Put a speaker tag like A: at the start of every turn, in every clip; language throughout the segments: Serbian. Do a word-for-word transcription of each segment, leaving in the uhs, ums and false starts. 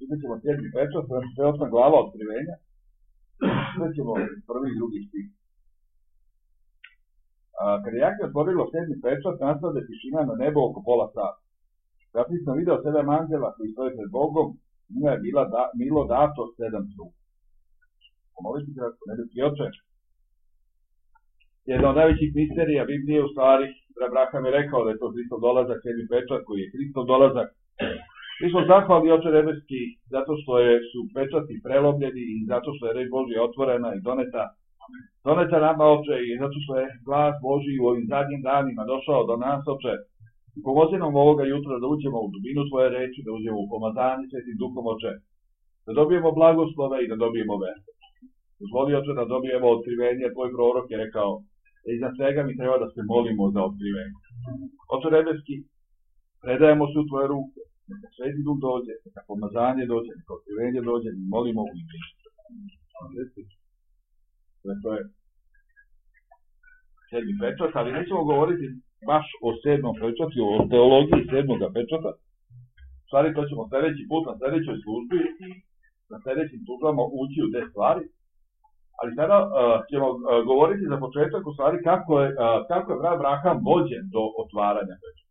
A: Čitat ćemo sedmi pečat, sve osma glava otkrivenja. Sve ćemo prvi i drugi stih. Kad je Jahve otvorilo sedmi pečat, nastade tišina na nebo oko pola sata. Zatim sam video sedam anđela koji stoje pred Bogom, njima je bila da, bilo dato sedam trupa. Pomoliti kratko, nebeski oče. Jedna od najvećih misterija Biblije u stvari, Abraham je rekao da je to Hristov dolazak, sedmi pečat koji je Hristov dolazak. Mi smo zahvalni, oče nebeski, zato što je, su pečati prelomljeni i zato što je reč Božja otvorena i doneta, doneta nama, oče, i zato što je glas Božji u ovim zadnjim danima došao do nas, oče. I pomozi nam ovoga jutra da uđemo u dubinu tvoje reči, da uđemo u pomazanje svetim duhom, oče, da dobijemo blagoslove i da dobijemo veru. Dozvoli, oče, da dobijemo otkrivenje, tvoj prorok je rekao, da iznad svega mi treba da se molimo za otkrivenje. Oče nebeski, predajemo se u tvoje ruke, neka sveti duh dođe, neka pomazanje dođe, neka otkrivenje dođe, mi molimo u ime Isusa. To je sedmi pečat, ali nećemo govoriti baš o sedmom pečatu, o teologiji sedmoga pečata. U stvari, to ćemo sljedeći put na sljedećoj službi i na sljedećim službama ući u te stvari. Ali sada uh, ćemo uh, govoriti za početak u stvari kako je, uh, kako je Abraham vođen do otvaranja pečata.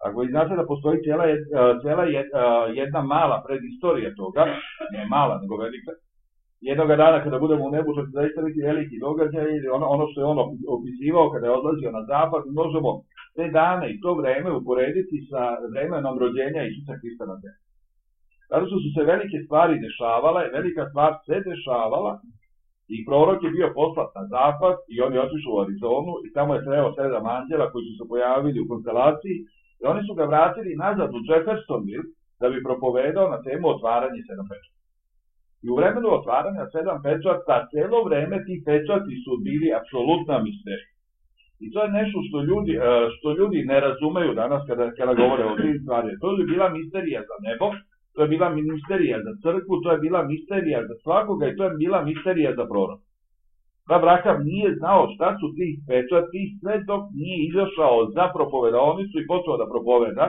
A: Ako vi znate da postoji cijela, uh, cijela jed, uh, jedna mala predistorija toga, ne mala, nego velika, jednoga dana kada budemo u nebu, što će zaista biti veliki događaj, ili ono, ono što je on opisivao kada je odlazio na zapad, možemo te dane i to vreme uporediti sa vremenom rođenja Isusa Hrista na zemlji. Zato što su se velike stvari dešavale, velika stvar se dešavala i prorok je bio poslat na zapad i on je otišao u Arizonu i tamo je sreo sedam anđela koji su se pojavili u konstelaciji i oni su ga vratili nazad u Jeffersonville da bi propovedao na temu otvaranje sedam pečata. I u vremenu otvaranja sedam pečata, cijelo vreme ti pečati su bili apsolutna misterija. I to je nešto što ljudi, što ljudi ne razumeju danas kada, kada govore o tim stvarima. To je bila misterija za nebo, to je bila misterija za crkvu, to je bila misterija za svakoga i to je bila misterija za proroka. Abraham nije znao šta su tih pečati sve dok nije izašao za propovedaonicu i počeo da propoveda,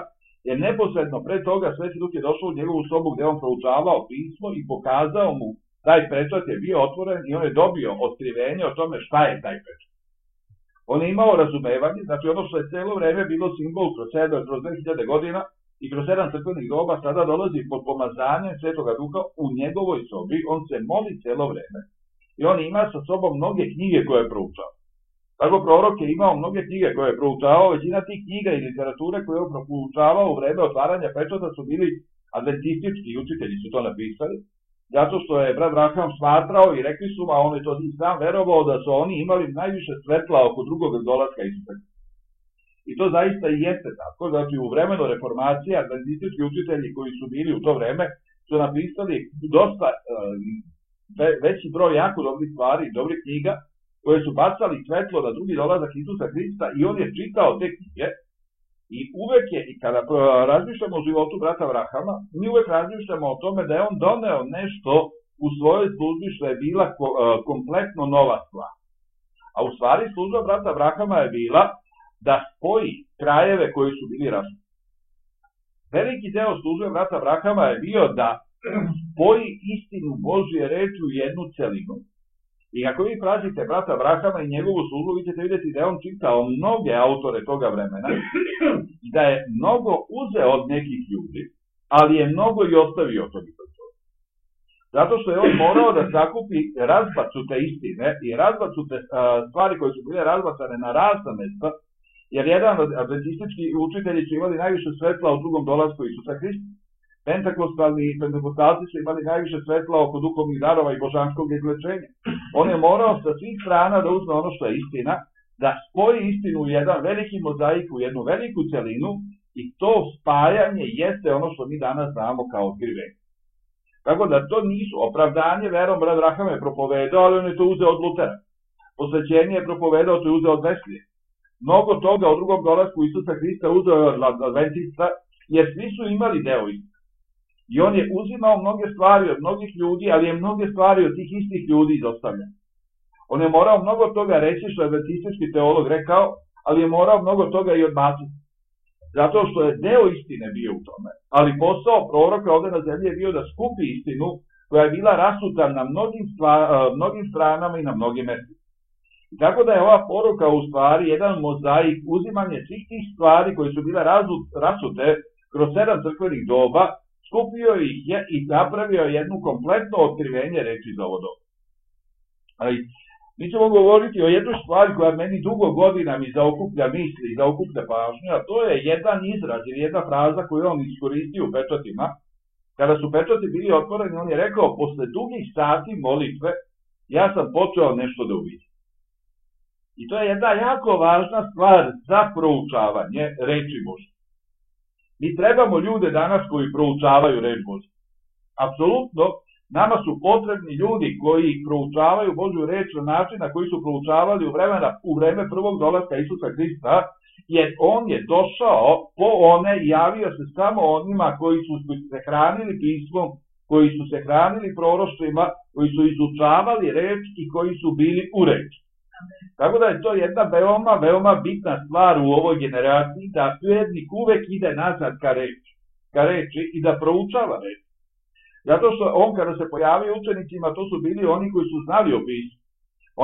A: jer neposredno pre toga Sveti Duh je došao u njegovu sobu gdje on proučavao pismo i pokazao mu taj pečat je bio otvoren i on je dobio otkrivenje o tome šta je taj pečat. On je imao razumevanje, znači ono što je cijelo vreme bilo simbol kroz sedam, kroz dve hiljade godina i kroz sedam crkvenih doba, sada dolazi pod pomazanjem Svetoga Duha u njegovoj sobi, on se moli cijelo vreme i on ima sa sobom mnoge knjige koje je proučao. Tako prorok je imao mnoge knjige koje je proučavao, većina tih knjiga i literature koje je proučavao u vreme otvaranja pečata su bili adventistički učitelji su to napisali, zato što je brat Abraham smatrao i rekli su, a on je to sam verovao da su oni imali najviše svetla oko drugog dolaska Isusa. I to zaista i jeste tako, znači u vremenu reformacije adventistički učitelji koji su bili u to vreme su napisali dosta ve, veći broj jako dobrih stvari, dobrih knjiga, koje su bacali svetlo na drugi dolazak Isusa Hrista i on je čitao te knjige i uvek je, i kada razmišljamo o životu brata Abrahama, mi uvek razmišljamo o tome da je on doneo nešto u svojoj službi što je bila kompletno nova stvar. A u stvari služba brata Abrahama je bila da spoji krajeve koji su bili različiti. Veliki deo službe brata Abrahama je bio da spoji istinu Božje reči u jednu celinu. I ako vi pratite brata Abrahama i njegovu službu, vi ćete vidjeti da je on čitao mnoge autore toga vremena i da je mnogo uzeo od nekih ljudi, ali je mnogo i ostavio od toga. Zato što je on morao da sakupi razbacute istine i razbacute stvari koje su bile razbacane na razna mesta, jer jedan od adventistički učitelji su imali najviše svetla u drugom dolasku Isusa Hrista. Pentakostalni i pentakostalci su imali najviše svetla oko duhovnih darova i božanskog izlečenja. On je morao sa svih strana da uzme ono što je istina, da spoji istinu u jedan veliki mozaik, u jednu veliku celinu i to spajanje jeste ono što mi danas znamo kao otkrivenje. Tako da to nisu opravdanje verom, brat Abraham je propovedao, ali on je to uzeo od Lutera. Posvećenje je propovedao, to je uzeo od Veslije. Mnogo toga u drugom dolasku Isusa Hrista uzeo od Adventista, jer svi su imali deo istine. I on je uzimao mnoge stvari od mnogih ljudi, ali je mnoge stvari od tih istih ljudi izostavljeno. On je morao mnogo toga reći što je adventistički teolog rekao, ali je morao mnogo toga i odbaciti. zato što je deo istine bio u tome, ali posao proroka ovdje na zemlji je bio da skupi istinu koja je bila rasuta na mnogim, stvar, mnogim stranama i na mnogim mjestima. Tako da je ova poruka u stvari jedan mozaik, uzimanje svih tih stvari koje su bile rasute kroz sedam crkvenih doba, skupio ih je i napravio jednu kompletno otkrivenje reči za ovo doba. Ali mi ćemo govoriti o jednoj stvari koja meni dugo godina mi zaokuplja misli i zaokuplja pažnju, a to je jedan izraz ili jedna fraza koju on iskoristio u pečatima. Kada su pečati bili otvoreni, on je rekao, posle dugih sati molitve, ja sam počeo nešto da uvidim. I to je jedna jako važna stvar za proučavanje reči Božje. Mi trebamo ljude danas koji proučavaju reč Božje. Apsolutno, nama su potrebni ljudi koji proučavaju Božju reč na način na koji su proučavali u, vremena, u vreme prvog dolaska Isusa Hrista, jer on je došao po one i javio se samo onima koji su se hranili pismom, koji su se hranili proroštvima, koji su izučavali reč i koji su bili u reči. Tako da je to jedna veoma, veoma bitna stvar u ovoj generaciji, da vjernik uvek ide nazad ka reči, ka reči i da proučava reč. Zato što on kada se pojavio učenicima, to su bili oni koji su znali o pismu.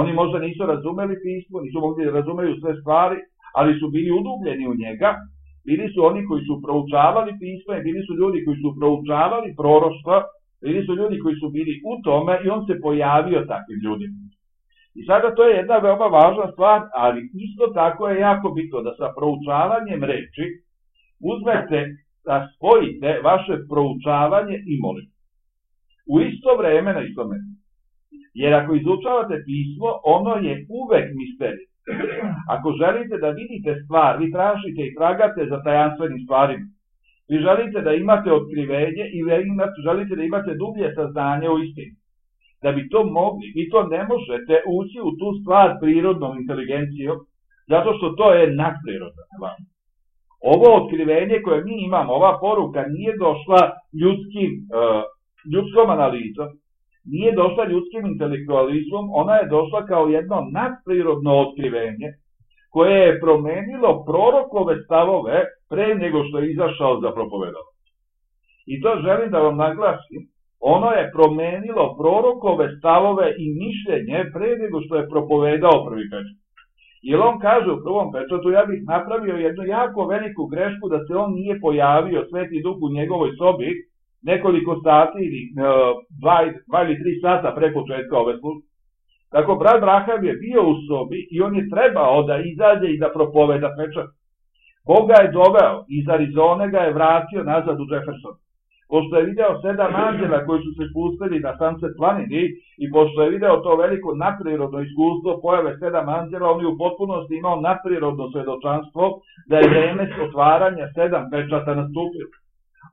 A: Oni možda nisu razumeli pismo, nisu mogli da razumeju sve stvari, ali su bili udubljeni u njega. Bili su oni koji su proučavali pismo i bili su ljudi koji su proučavali proroštva, bili su ljudi koji su bili u tome i on se pojavio takvim ljudima. I sada to je jedna veoma važna stvar, ali isto tako je jako bitno da sa proučavanjem reči uzmete da spojite vaše proučavanje i molitvu. U isto vreme na isto mjesto. Jer ako izučavate pismo, ono je uvek misterij. Ako želite da vidite stvar, vi tražite i tragate za tajanstvenim stvarima. Vi želite da imate otkrivenje i želite da imate dublje saznanje o istini. Da bi to mogli, vi to ne možete ući u tu stvar prirodnom inteligencijom, zato što to je nadprirodna stvar. Ovo otkrivenje koje mi imamo, ova poruka nije došla ljudskim, uh, ljudskom analizom, nije došla ljudskim intelektualizmom, ona je došla kao jedno nadprirodno otkrivenje koje je promenilo prorokove stavove pre nego što je izašao za propovedanje. I to želim da vam naglasim. Ono je promenilo prorokove stavove i mišljenje pre nego što je propovedao prvi pečat. Jer on kaže u prvom pečatu, ja bih napravio jednu jako veliku grešku da se on nije pojavio, Sveti Duh u njegovoj sobi, nekoliko sati ili dva, dva ili tri sata pre početka ove službe. Tako, brat Braham je bio u sobi i on je trebao da izađe i da propoveda pečat. Bog ga je doveo, iz Arizone ga je vratio nazad u Jefferson. Pošto je video sedam anđela koji su se spustili na Sunset planini i pošto je video to veliko nadprirodno iskustvo pojave sedam anđela, on je u potpunosti imao nadprirodno svedočanstvo da je vreme otvaranja sedam pečata nastupilo.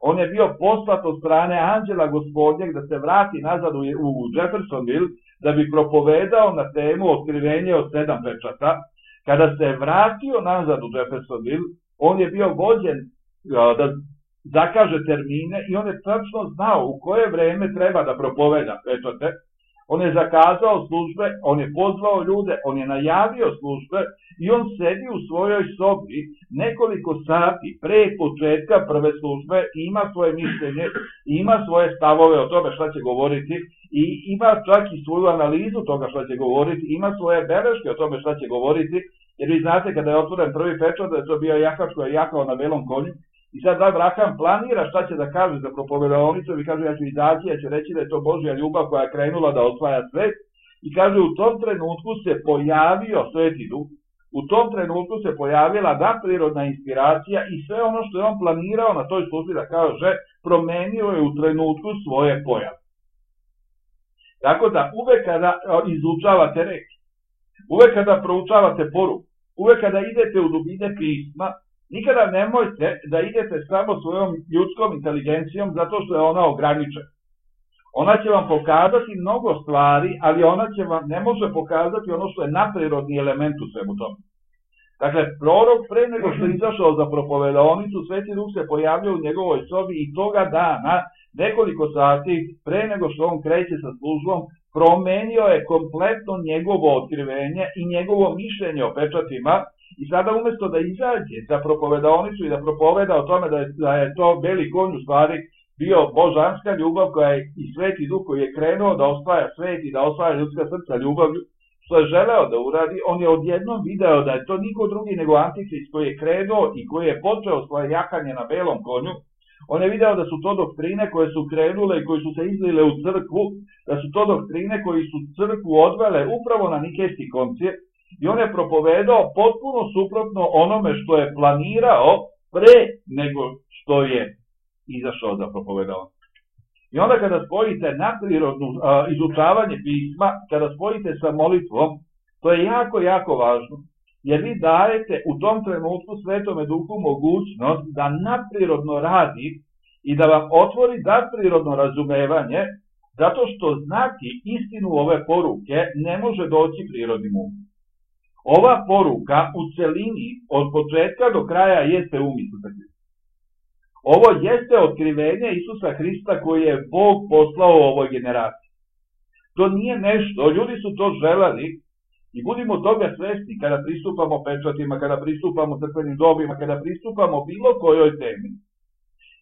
A: On je bio poslat od strane anđela Gospodnjeg da se vrati nazad u Jeffersonville da bi propovedao na temu otkrivenje od sedam pečata. Kada se vratio nazad u Jeffersonville, on je bio vođen da zakaže termine i on je tačno znao u koje vreme treba da propoveda pečate. On je zakazao službe, on je pozvao ljude, on je najavio službe i on sedi u svojoj sobi nekoliko sati pre početka prve službe i ima svoje mišljenje, ima svoje stavove o tome šta će govoriti i ima čak i svoju analizu toga šta će govoriti, ima svoje beleške o tome šta će govoriti, jer vi znate kada je otvoren prvi pečat da je to bio jahač koji je jahao na belom konju. I sad Abraham planira šta će da kaže za propovedalnicu i kaže ja ću izaći, ja ću reći da je to Božja ljubav koja je krenula da osvaja svet. I kaže u tom trenutku se pojavio Sveti Duh, u tom trenutku se pojavila nadprirodna inspiracija i sve ono što je on planirao na toj službi da kaže, promenio je u trenutku svoje pojave. Tako da uvek kada izučavate reč, uvek kada proučavate poruku, uvek kada idete u dubine pisma, nikada nemojte da idete samo svojom ljudskom inteligencijom zato što je ona ograničena. Ona će vam pokazati mnogo stvari, ali ona će vam ne može pokazati ono što je nadprirodni element u svemu tome. Dakle, prorok pre nego što je izašao za propovedalnicu, Sveti Duh se pojavio u njegovoj sobi i toga dana, nekoliko sati pre nego što on kreće sa službom, promenio je kompletno njegovo otkrivenje i njegovo mišljenje o pečatima I sada umjesto da izađe za propovedaonicu i da propoveda o tome da je, da je to beli konj u stvari bio božanska ljubav koja je i sveti duh koji je krenuo da osvaja svet i da osvaja ljudska srca ljubavlju, što je želeo da uradi, on je odjednom video da je to niko drugi nego Antihrist koji je krenuo i koji je počeo svoje jakanje na belom konju. On je video da su to doktrine koje su krenule i koje su se izlile u crkvu, da su to doktrine koji su crkvu odvele upravo na Nikejski koncil i on je propovedao potpuno suprotno onome što je planirao pre nego što je izašao za propovedao. I onda kada spojite nadprirodno izučavanje pisma, kada spojite sa molitvom, to je jako, jako važno, jer vi dajete u tom trenutku Svetome Duhu mogućnost da nadprirodno radi i da vam otvori nadprirodno razumevanje, zato što znati istinu ove poruke ne može doći prirodnim umom. Ova poruka u celini od početka do kraja jeste um Isusa Hrista. Ovo jeste otkrivenje Isusa Hrista koji je Bog poslao u ovoj generaciji. To nije nešto, ljudi su to želeli i budimo toga svesni kada pristupamo pečatima, kada pristupamo crkvenim dobima, kada pristupamo bilo kojoj temi.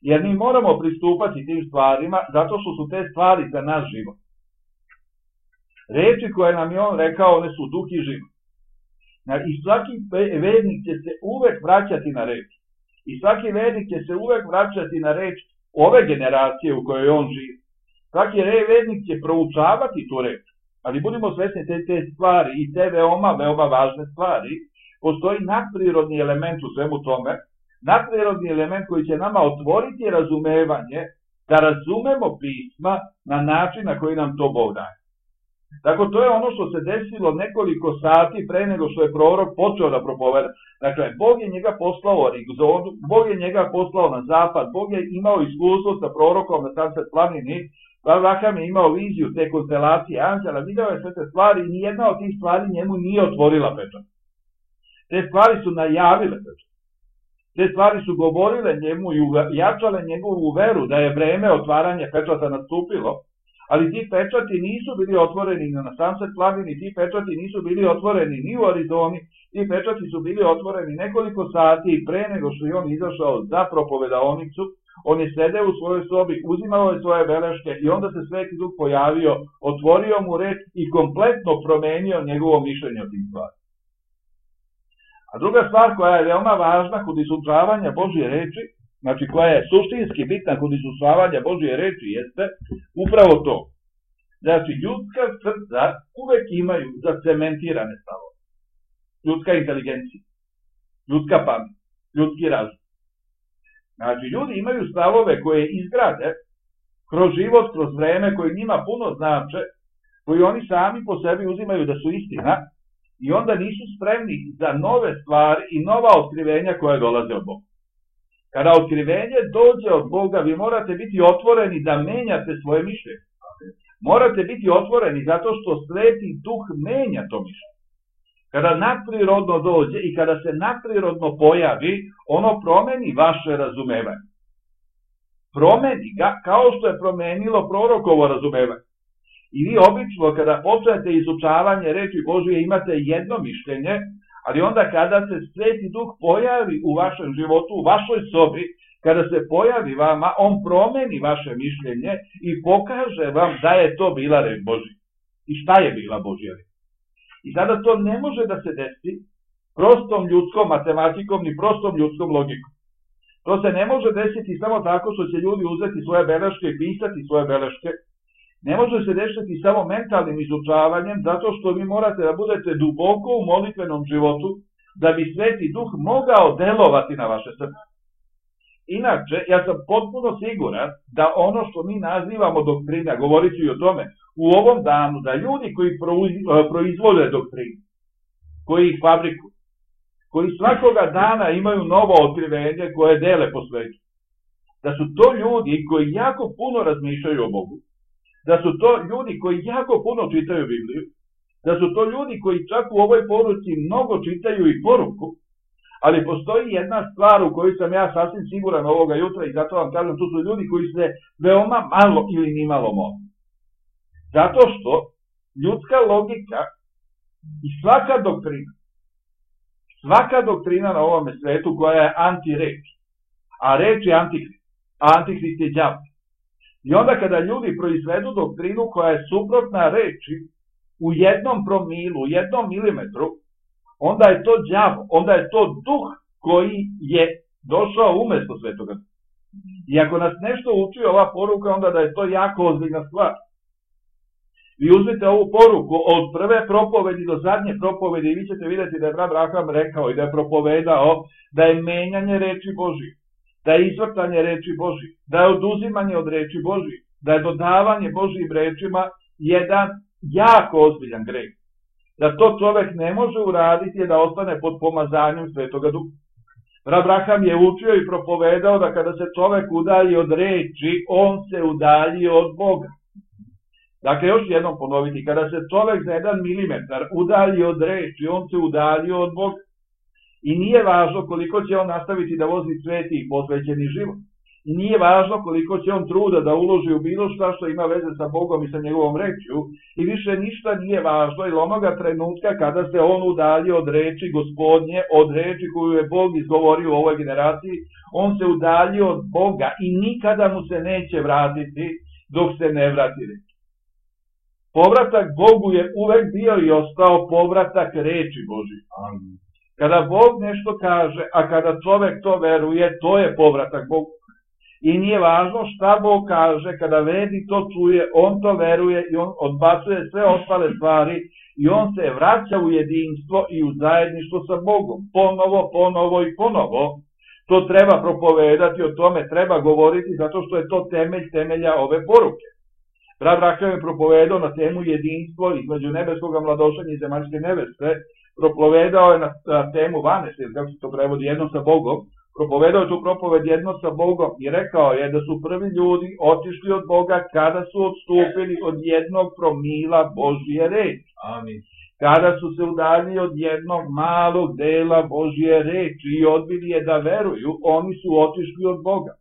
A: Jer mi moramo pristupati tim stvarima zato što su te stvari za naš život. Reči koje nam je on rekao, one su duh i život. I svaki vernik će se uvek vraćati na reč. I svaki vernik će se uvek vraćati na reč ove generacije u kojoj on živi. Svaki vernik će proučavati tu reč. Ali budimo svesni te, te stvari i te veoma, veoma važne stvari. Postoji nadprirodni element u svemu tome. Nadprirodni element koji će nama otvoriti razumevanje da razumemo pisma na način na koji nam to Bog daje. Tako to je ono što se desilo nekoliko sati pre nego što je prorok počeo da propoveda. Dakle, Bog je njega poslao u Arigzonu, Bog je njega poslao na zapad, Bog je imao iskustvo sa prorokom na Sunset planini, Avraham je imao viziju te konstelacije anđela, video je sve te stvari i nijedna od tih stvari njemu nije otvorila pečat. Te stvari su najavile pečat. Te stvari su govorile njemu i jačale njegovu veru da je vreme otvaranja pečata nastupilo, ali ti pečati nisu bili otvoreni na Sunset planini, ti pečati nisu bili otvoreni ni u Arizoni, ti pečati su bili otvoreni nekoliko sati pre nego što je on izašao za propovedaonicu. On je sedeo u svojoj sobi, uzimao je svoje beleške i onda se Sveti Duh pojavio, otvorio mu reč i kompletno promenio njegovo mišljenje o tim stvarima. A druga stvar koja je veoma važna kod izučavanja Božje reči, znači koja je suštinski bitna kod izučavanja Božje reči, jeste upravo to. Znači, ljudska srca uvek imaju zacementirane stavove. Ljudska inteligencija, ljudska pamet, ljudski razum. Znači, ljudi imaju stavove koje izgrade kroz život, kroz vreme, koji njima puno znače, koji oni sami po sebi uzimaju da su istina i onda nisu spremni za nove stvari i nova otkrivenja koje dolaze od Boga. Kada otkrivenje dođe od Boga, vi morate biti otvoreni da menjate svoje mišljenje. Morate biti otvoreni zato što Sveti Duh menja to mišljenje. Kada nadprirodno dođe i kada se nadprirodno pojavi, ono promeni vaše razumevanje. Promeni ga kao što je promenilo prorokovo razumevanje. I vi obično kada počnete izučavanje reči Božje imate jedno mišljenje, ali onda kada se Sveti Duh pojavi u vašem životu, u vašoj sobi, kada se pojavi vama, on promeni vaše mišljenje i pokaže vam da je to bila reč Božja. I šta je bila Božja reč? I sada to ne može da se desi prostom ljudskom matematikom ni prostom ljudskom logikom. To se ne može desiti samo tako što će ljudi uzeti svoje beleške i pisati svoje beleške. Ne može se desiti samo mentalnim izučavanjem, zato što vi morate da budete duboko u molitvenom životu, da bi Sveti Duh mogao delovati na vaše srce. Inače, ja sam potpuno siguran da ono što mi nazivamo doktrina, govorit ću i o tome, u ovom danu, da ljudi koji proizvode doktrinu, koji ih fabrikuju, koji svakoga dana imaju novo otkrivenje koje dele po svetu, da su to ljudi koji jako puno razmišljaju o Bogu, da su to ljudi koji jako puno čitaju Bibliju, da su to ljudi koji čak u ovoj poruci mnogo čitaju i poruku, ali postoji jedna stvar u kojoj sam ja sasvim siguran ovoga jutra i zato vam kažem, tu su ljudi koji se veoma malo ili nimalo mole. Zato što ljudska logika i svaka doktrina, svaka doktrina na ovome svetu koja je anti-reč, a reč je antikrist, a antikrist je đavo. I onda kada ljudi proizvedu doktrinu koja je suprotna reči u jednom promilu, u jednom milimetru, onda je to đavo, onda je to duh koji je došao umjesto Svetoga. I ako nas nešto uči ova poruka, onda da je to jako ozbiljna stvar. Vi uzmite ovu poruku od prve propovedi do zadnje propovedi i vi ćete vidjeti da je brat Abraham rekao i da je propovedao da je menjanje reči Božije, da je izvrtanje reči Božije, da je oduzimanje od reči Božije, da je dodavanje Božijim rečima jedan jako ozbiljan greh. Da to čovek ne može uraditi je da ostane pod pomazanjem Svetoga Duha. Abraham je učio i propovedao da kada se čovek udalji od reči, on se udalji od Boga. Dakle, još jednom ponoviti, kada se čovek za jedan milimetar udalji od reči, on se udalji od Boga. I nije važno koliko će on nastaviti da vozi sveti i posvećeni život. I nije važno koliko će on truda da uloži u bilo šta što ima veze sa Bogom i sa njegovom rečju. I više ništa nije važno, jer onoga trenutka kada se on udalji od reči Gospodnje, od reči koju je Bog izgovorio u ovoj generaciji, on se udalji od Boga i nikada mu se neće vratiti dok se ne vrati reč. Povratak Bogu je uvek bio i ostao povratak reči Božije. Kada Bog nešto kaže, a kada čovek to veruje, to je povratak Bogu. I nije važno šta Bog kaže, kada vedi to čuje, on to veruje i on odbacuje sve ostale stvari i on se vraća u jedinstvo i u zajedništvo sa Bogom. Ponovo, ponovo i ponovo. To treba propovedati, o tome treba govoriti, zato što je to temelj temelja ove poruke. Brat Abraham je propovedao na temu jedinstvo između nebeskog mladošenja i zemaljske neveste, propovedao je na, na temu vanese, kako se to prevodi, jedno sa Bogom, propovedao je tu propoved jedno sa Bogom i rekao je da su prvi ljudi otišli od Boga kada su odstupili od jednog promila Božje reči.
B: Amin.
A: Kada su se udaljili od jednog malog dela Božje reči i odbili je da veruju, oni su otišli od Boga.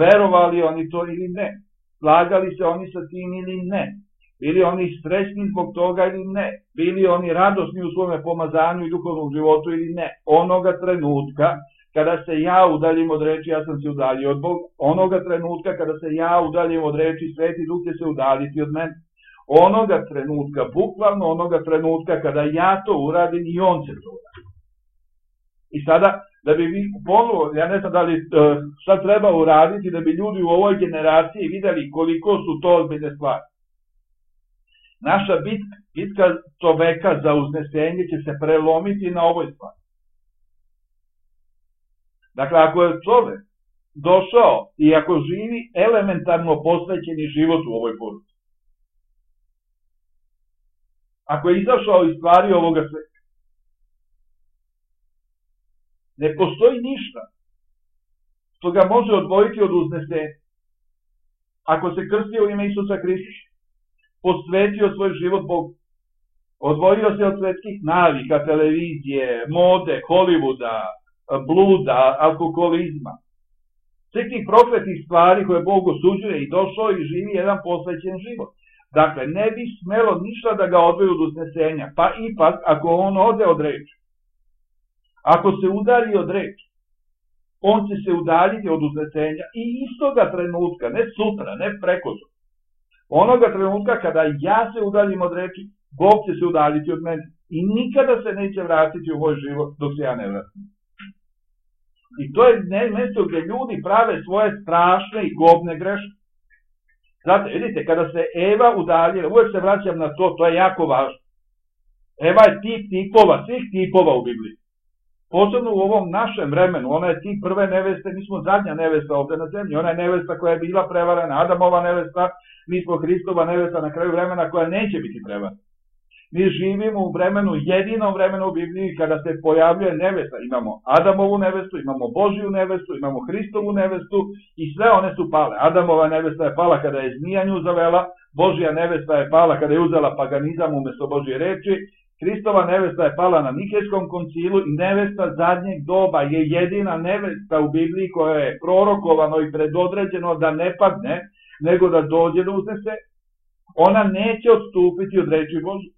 A: Verovali oni to ili ne? Slagali se oni sa tim ili ne? Bili oni srećni zbog toga ili ne? Bili oni radosni u svome pomazanju i duhovnom životu ili ne? Onoga trenutka kada se ja udaljim od reči, ja sam se udaljio od Boga. Onoga trenutka kada se ja udaljim od reči, Sveti Duh će se udaljiti od mene. Onoga trenutka, bukvalno onoga trenutka kada ja to uradim i on će to uraditi. I sada, da bi vi ponovo, ja ne znam da li šta treba uraditi, da bi ljudi u ovoj generaciji videli koliko su to ozbiljne stvari. Naša bitka, bitka čoveka za uznesenje će se prelomiti na ovoj stvari. Dakle, ako je čovek došao i ako živi elementarno posvećeni život u ovoj poruci, ako je izašao iz stvari ovoga sveta, ne postoji ništa što ga može odvojiti od uznesenja. Ako se krstio u ime Isusa Hrista, posvetio svoj život Bogu, odvojio se od svetskih navika, televizije, mode, Hollywooda, bluda, alkoholizma, sve tih prokletih stvari koje Bog osuđuje i došao i živi jedan posvećen život. Dakle, ne bi smelo ništa da ga odvoji od uznesenja, pa ipak ako on ode od reči, ako se udalji od reči, on će se udaljiti od uznesenja i istoga trenutka, ne sutra, ne prekosutra, onoga trenutka kada ja se udaljim od reči, Bog će se udaljiti od mene i nikada se neće vratiti u moj život dok se ja ne vratim. I to je mjesto gdje ljudi prave svoje strašne i gobne greške. Znate, vidite, kada se Eva udaljila, uvijek se vraćam na to, to je jako važno. Eva je tip tipova, svih tipova u Bibliji. Posebno u ovom našem vremenu, ona je tip prve neveste, mi smo zadnja nevesta ovdje na zemlji, ona je nevesta koja je bila prevarena, Adamova nevesta, mi smo Hristova nevesta na kraju vremena koja neće biti prevarena. Mi živimo u vremenu, jedinom vremenu u Bibliji kada se pojavljuje nevesta. Imamo Adamovu nevestu, imamo Božiju nevestu, imamo Hristovu nevestu i sve one su pale. Adamova nevesta je pala kada je zmija nju zavela, Božja nevesta je pala kada je uzela paganizam umjesto Božje reči, Hristova nevesta je pala na Nikejskom koncilu i nevesta zadnjeg doba je jedina nevesta u Bibliji koja je prorokovano i predodređeno da ne padne, nego da dođe do uznese. Ona neće odstupiti od reči Božje.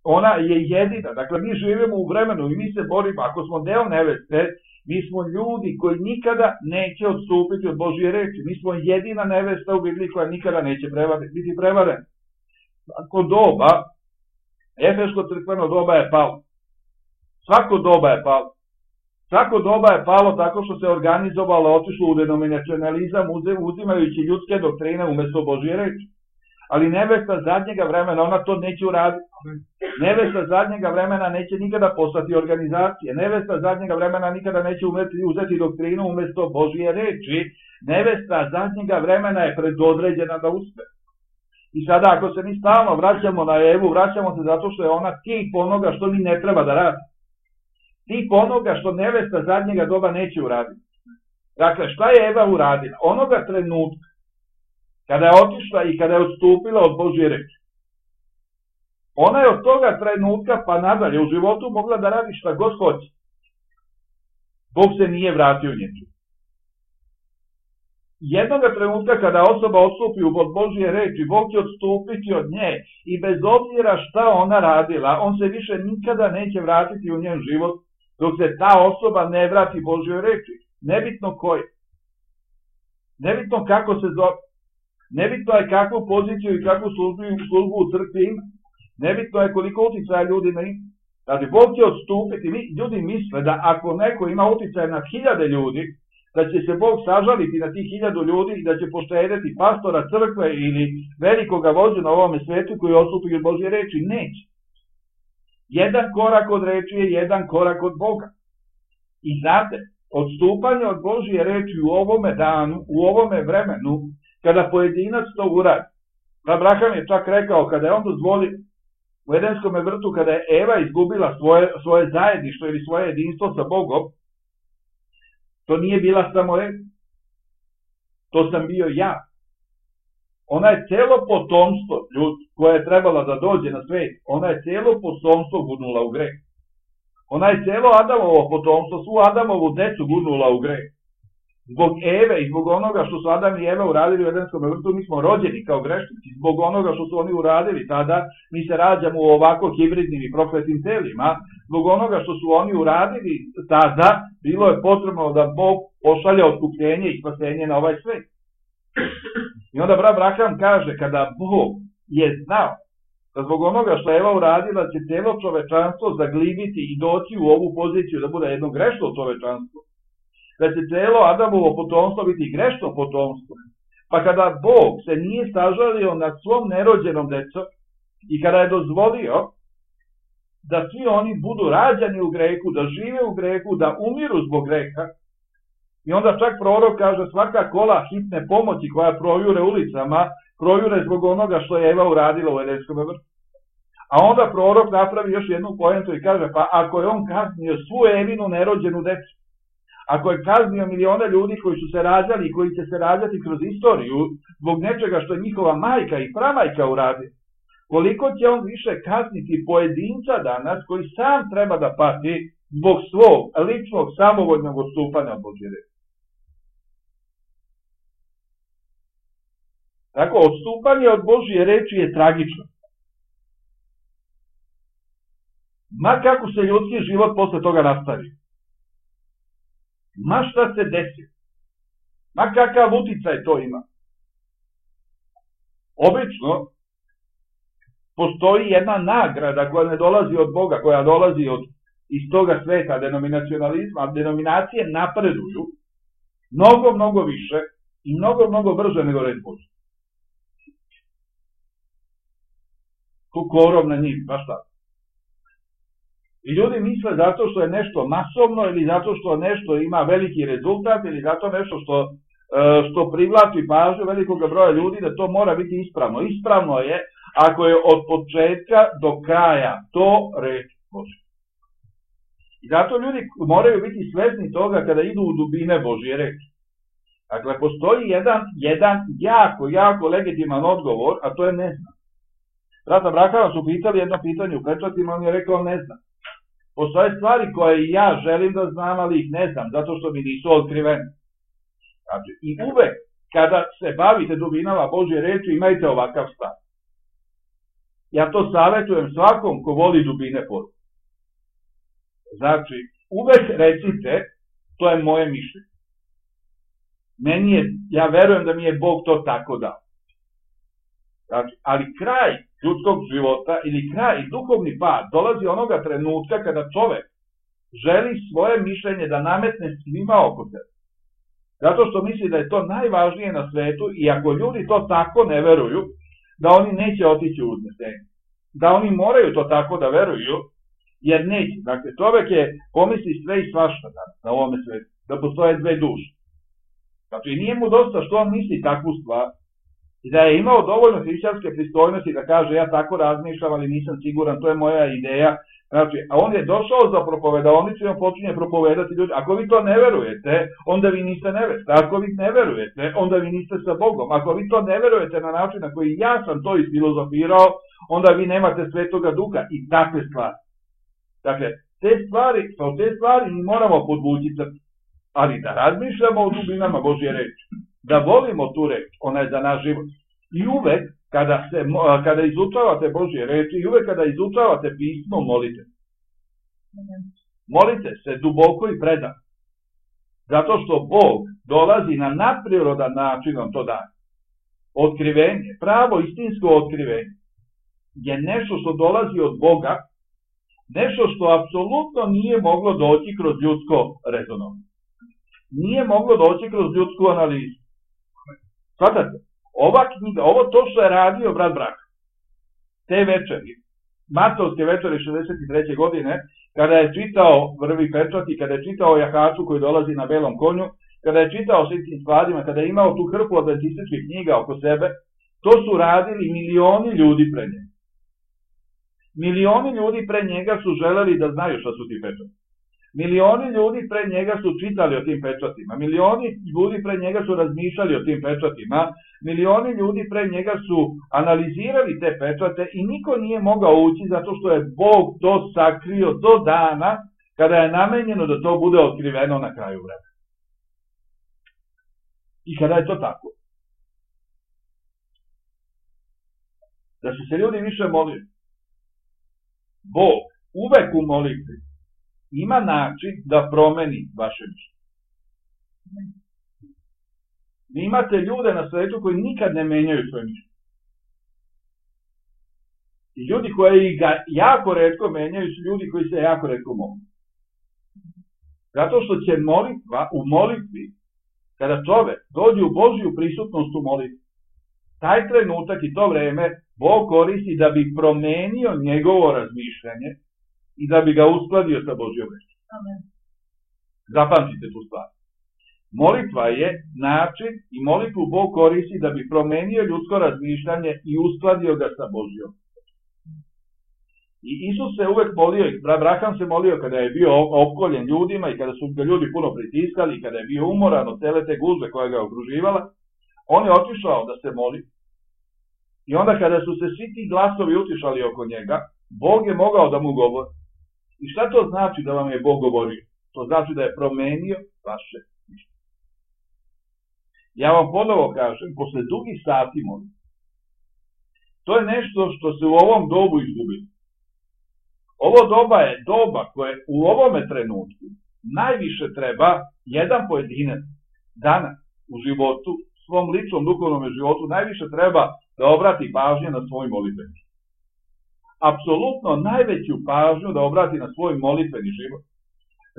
A: ona je jedina. Dakle, mi živimo u vremenu i mi se borimo, ako smo deo neveste, mi smo ljudi koji nikada neće odstupiti od Božje reči. Mi smo jedina nevesta u Bibliji koja nikada neće biti prevarena. Svako doba, Efeško crkveno doba je palo. Svako doba je palo. Svako doba je palo tako što se organizovalo, otišlo u denominacionalizam, uzimajući ljudske doktrine umjesto Božje reči. Ali nevesta zadnjega vremena, ona to neće uraditi. Nevesta zadnjega vremena neće nikada postati organizacije. Nevesta zadnjega vremena nikada neće umeti, uzeti doktrinu umjesto Božje reči. Nevesta zadnjega vremena je predodređena da uspe. I sada ako se mi stalno vraćamo na Evu, vraćamo se zato što je ona tip onoga što mi ne treba da radi. Tip onoga što nevesta zadnjega doba neće uraditi. Dakle, šta je Eva uradila? Onoga trenutka kada je otišla i kada je odstupila od Božje reči. Ona je od toga trenutka pa nadalje u životu mogla da radi šta god hoće. Bog se nije vratio njemu. Jednoga trenutka kada osoba odstupi od Božje reči, Bog će odstupiti od nje i bez obzira šta ona radila, on se više nikada neće vratiti u njen život dok se ta osoba ne vrati Božjoj reči. Nebitno koji. Nebitno kako se zove. Nebitno je kakvu poziciju i kakvu službu, službu u crkvi ima. Nebitno je koliko uticaja ljudi ima. Znači, Bog će odstupiti. Ljudi misle da ako neko ima uticaja na hiljade ljudi, da će se Bog sažaliti na tih hiljadu ljudi i da će poštedeti pastora crkve ili velikoga vođu na ovome svetu koji odstupi od Božje reči. Neće. Jedan korak od reči je jedan korak od Boga. I znate, odstupanje od Božje reči u ovome danu, u ovome vremenu, kada pojedinac to uradi. Abraham je čak rekao, kada je on dozvolio u Edenskom vrtu, kada je Eva izgubila svoje, svoje zajedništvo ili svoje jedinstvo sa Bogom, to nije bila samo Eva. To sam bio ja. Ona je celo potomstvo ljudi koje je trebala da dođe na svet, ona je celo potomstvo gurnula u greh. Ona je celo Adamovo potomstvo, svu Adamovu decu gurnula u greh. Zbog Eve i zbog onoga što su Adam i Eva uradili u Edenskom vrtu, mi smo rođeni kao grešnici. Zbog onoga što su oni uradili tada, mi se rađamo u ovako hibridnim i prokletim telima. Zbog onoga što su oni uradili tada, bilo je potrebno da Bog pošalja otkupljenje i spasenje na ovaj svet. I onda brat Abraham kaže, kada Bog je znao da zbog onoga što je Eva uradila će celo čovečanstvo zaglibiti i doći u ovu poziciju da bude jedno grešno čovečanstvo, da će celo Adamovo potomstvo biti grešno potomstvo. Pa kada Bog se nije sažalio nad svom nerođenom decom i kada je dozvolio da svi oni budu rađani u grehu, da žive u grehu, da umiru zbog greha, i onda čak prorok kaže svaka kola hitne pomoći koja projure ulicama, projure zbog onoga što je Eva uradila u Edenskom vrtu. A onda prorok napravi još jednu poentu i kaže, pa ako je on kaznio svu Evinu nerođenu decu, ako je kaznio milione ljudi koji su se rađali i koji će se rađati kroz istoriju zbog nečega što je njihova majka i pramajka uradi, koliko će on više kazniti pojedinca danas koji sam treba da pati zbog svog ličnog samovoljnog odstupanja od Božje reči. Tako, odstupanje od Božje reči je tragično. Ma kako se ljudski život posle toga nastavi. Ma šta se desi. Ma kakav uticaj to ima. Obično postoji jedna nagrada koja ne dolazi od Boga, koja dolazi od iz toga sveta denominacionalizma, denominacije napreduju mnogo, mnogo više i mnogo, mnogo brže nego reč Božja. Tu korov na njih, baš tako. I ljudi misle zato što je nešto masovno ili zato što nešto ima veliki rezultat ili zato nešto što, što privlači pažnju velikog broja ljudi da to mora biti ispravno. Ispravno je ako je od početka do kraja to reč Božja. I zato ljudi moraju biti svesni toga kada idu u dubine Božje reči. Dakle, postoji jedan, jedan jako, jako legitiman odgovor, a to je ne znam. Brata Abrahama su pitali jedno pitanje u pečatima, on je rekao ne znam. Postoje stvari koje ja želim da znam, ali ih ne znam, zato što mi nisu otkrivene. Znači, i uvek kada se bavite dubinama Božje reči, imajte ovakav stav. ja to savjetujem svakom ko voli dubine poruke. Znači, uvek recite, to je moje mišljenje. Meni je, ja verujem da mi je Bog to tako dao. Znači, ali kraj ljudskog života ili kraj duhovni pad dolazi onoga trenutka kada čovek želi svoje mišljenje da nametne svima oko sebe. Zato što misli da je to najvažnije na svetu i ako ljudi to tako ne veruju, da oni neće otići u uznesenje. Da oni moraju to tako da veruju, jer neće. Dakle, čovek je pomisli sve i svašta na ovome svetu, da postoje dve duše. Znači, nije mu dosta što on misli takvu stvar i da je imao dovoljno hrišćanske pristojnosti da kaže ja tako razmišljam, ali nisam siguran, to je moja ideja. Znači, a on je došao za propovedaonicu i on počinje propovedati ljudi. Ako vi to ne verujete, onda vi niste nevesta. Ako vi ne verujete, onda vi niste sa Bogom. Ako vi to ne verujete na način na koji ja sam to isfilozofirao, onda vi nemate Svetoga Duha i takve stvari. Dakle, te stvari, kao te stvari mi moramo podvući crtu. Ali da razmišljamo o dubinama Božje reči. Da volimo tu reč, ona je za naš život. I uvek, kada, se, kada izučavate Božje reči, i uvek kada izučavate pismo, molite. Molite se duboko i predano. Zato što Bog dolazi na nadprirodan način vam to daje. Otkrivenje, pravo istinsko otkrivenje, je nešto što dolazi od Boga, nešto što apsolutno nije moglo doći kroz ljudsko rezonovanje. Nije moglo doći kroz ljudsku analizu. Svatate, ova knjiga, ovo to što je radio brat Brah, te večeri, Martovske večeri šezdeset treće godine, kada je čitao Vrvi pečat i kada je čitao jahaču koji dolazi na belom konju, kada je čitao svim tim stvarima, kada je imao tu hrpu adventističkih knjiga oko sebe, to su radili milioni ljudi pre njega. Milioni ljudi pre njega su želeli da znaju šta su ti pečati. Milioni ljudi pre njega su čitali o tim pečatima, milioni ljudi pre njega su razmišljali o tim pečatima, milioni ljudi pre njega su analizirali te pečate i niko nije mogao ući zato što je Bog to sakrio do dana kada je namenjeno da to bude otkriveno na kraju vremena. I kada je to tako. Da su se ljudi više molili. Bog uvek u molitvi ima način da promeni vaše mišljenje. Vi imate ljude na svetu koji nikad ne menjaju svoje mišljenje. I ljudi koji ga jako retko menjaju su ljudi koji se jako retko mole. Zato što će molitva u molitvi, kada čovek dođe u Božju prisutnost u molitvi, taj trenutak i to vreme Bog koristi da bi promenio njegovo razmišljanje i da bi ga uskladio sa Božjom rečju. Zapamtite tu stvar. Molitva je način i molitvu Bog koristi da bi promenio ljudsko razmišljanje i uskladio ga sa Božjom. I Isus se uvek molio, i Abraham se molio kada je bio opkoljen ljudima i kada su ga ljudi puno pritiskali i kada je bio umoran od cele te gužve koja ga okruživala, on je otišao da se moli. I onda kada su se svi ti glasovi utišali oko njega, Bog je mogao da mu govori. I šta to znači da vam je Bog govorio? To znači da je promenio vaše mišljenje. Ja vam ponovo kažem, posle dugih sati molim. To je nešto što se u ovom dobu izgubilo. Ovo doba je doba koje u ovome trenutku najviše treba jedan pojedinac danas u životu, svom ličnom duhovnom životu, najviše treba da obrati pažnju na svoj molitveni. Apsolutno najveću pažnju da obrati na svoj molitveni život.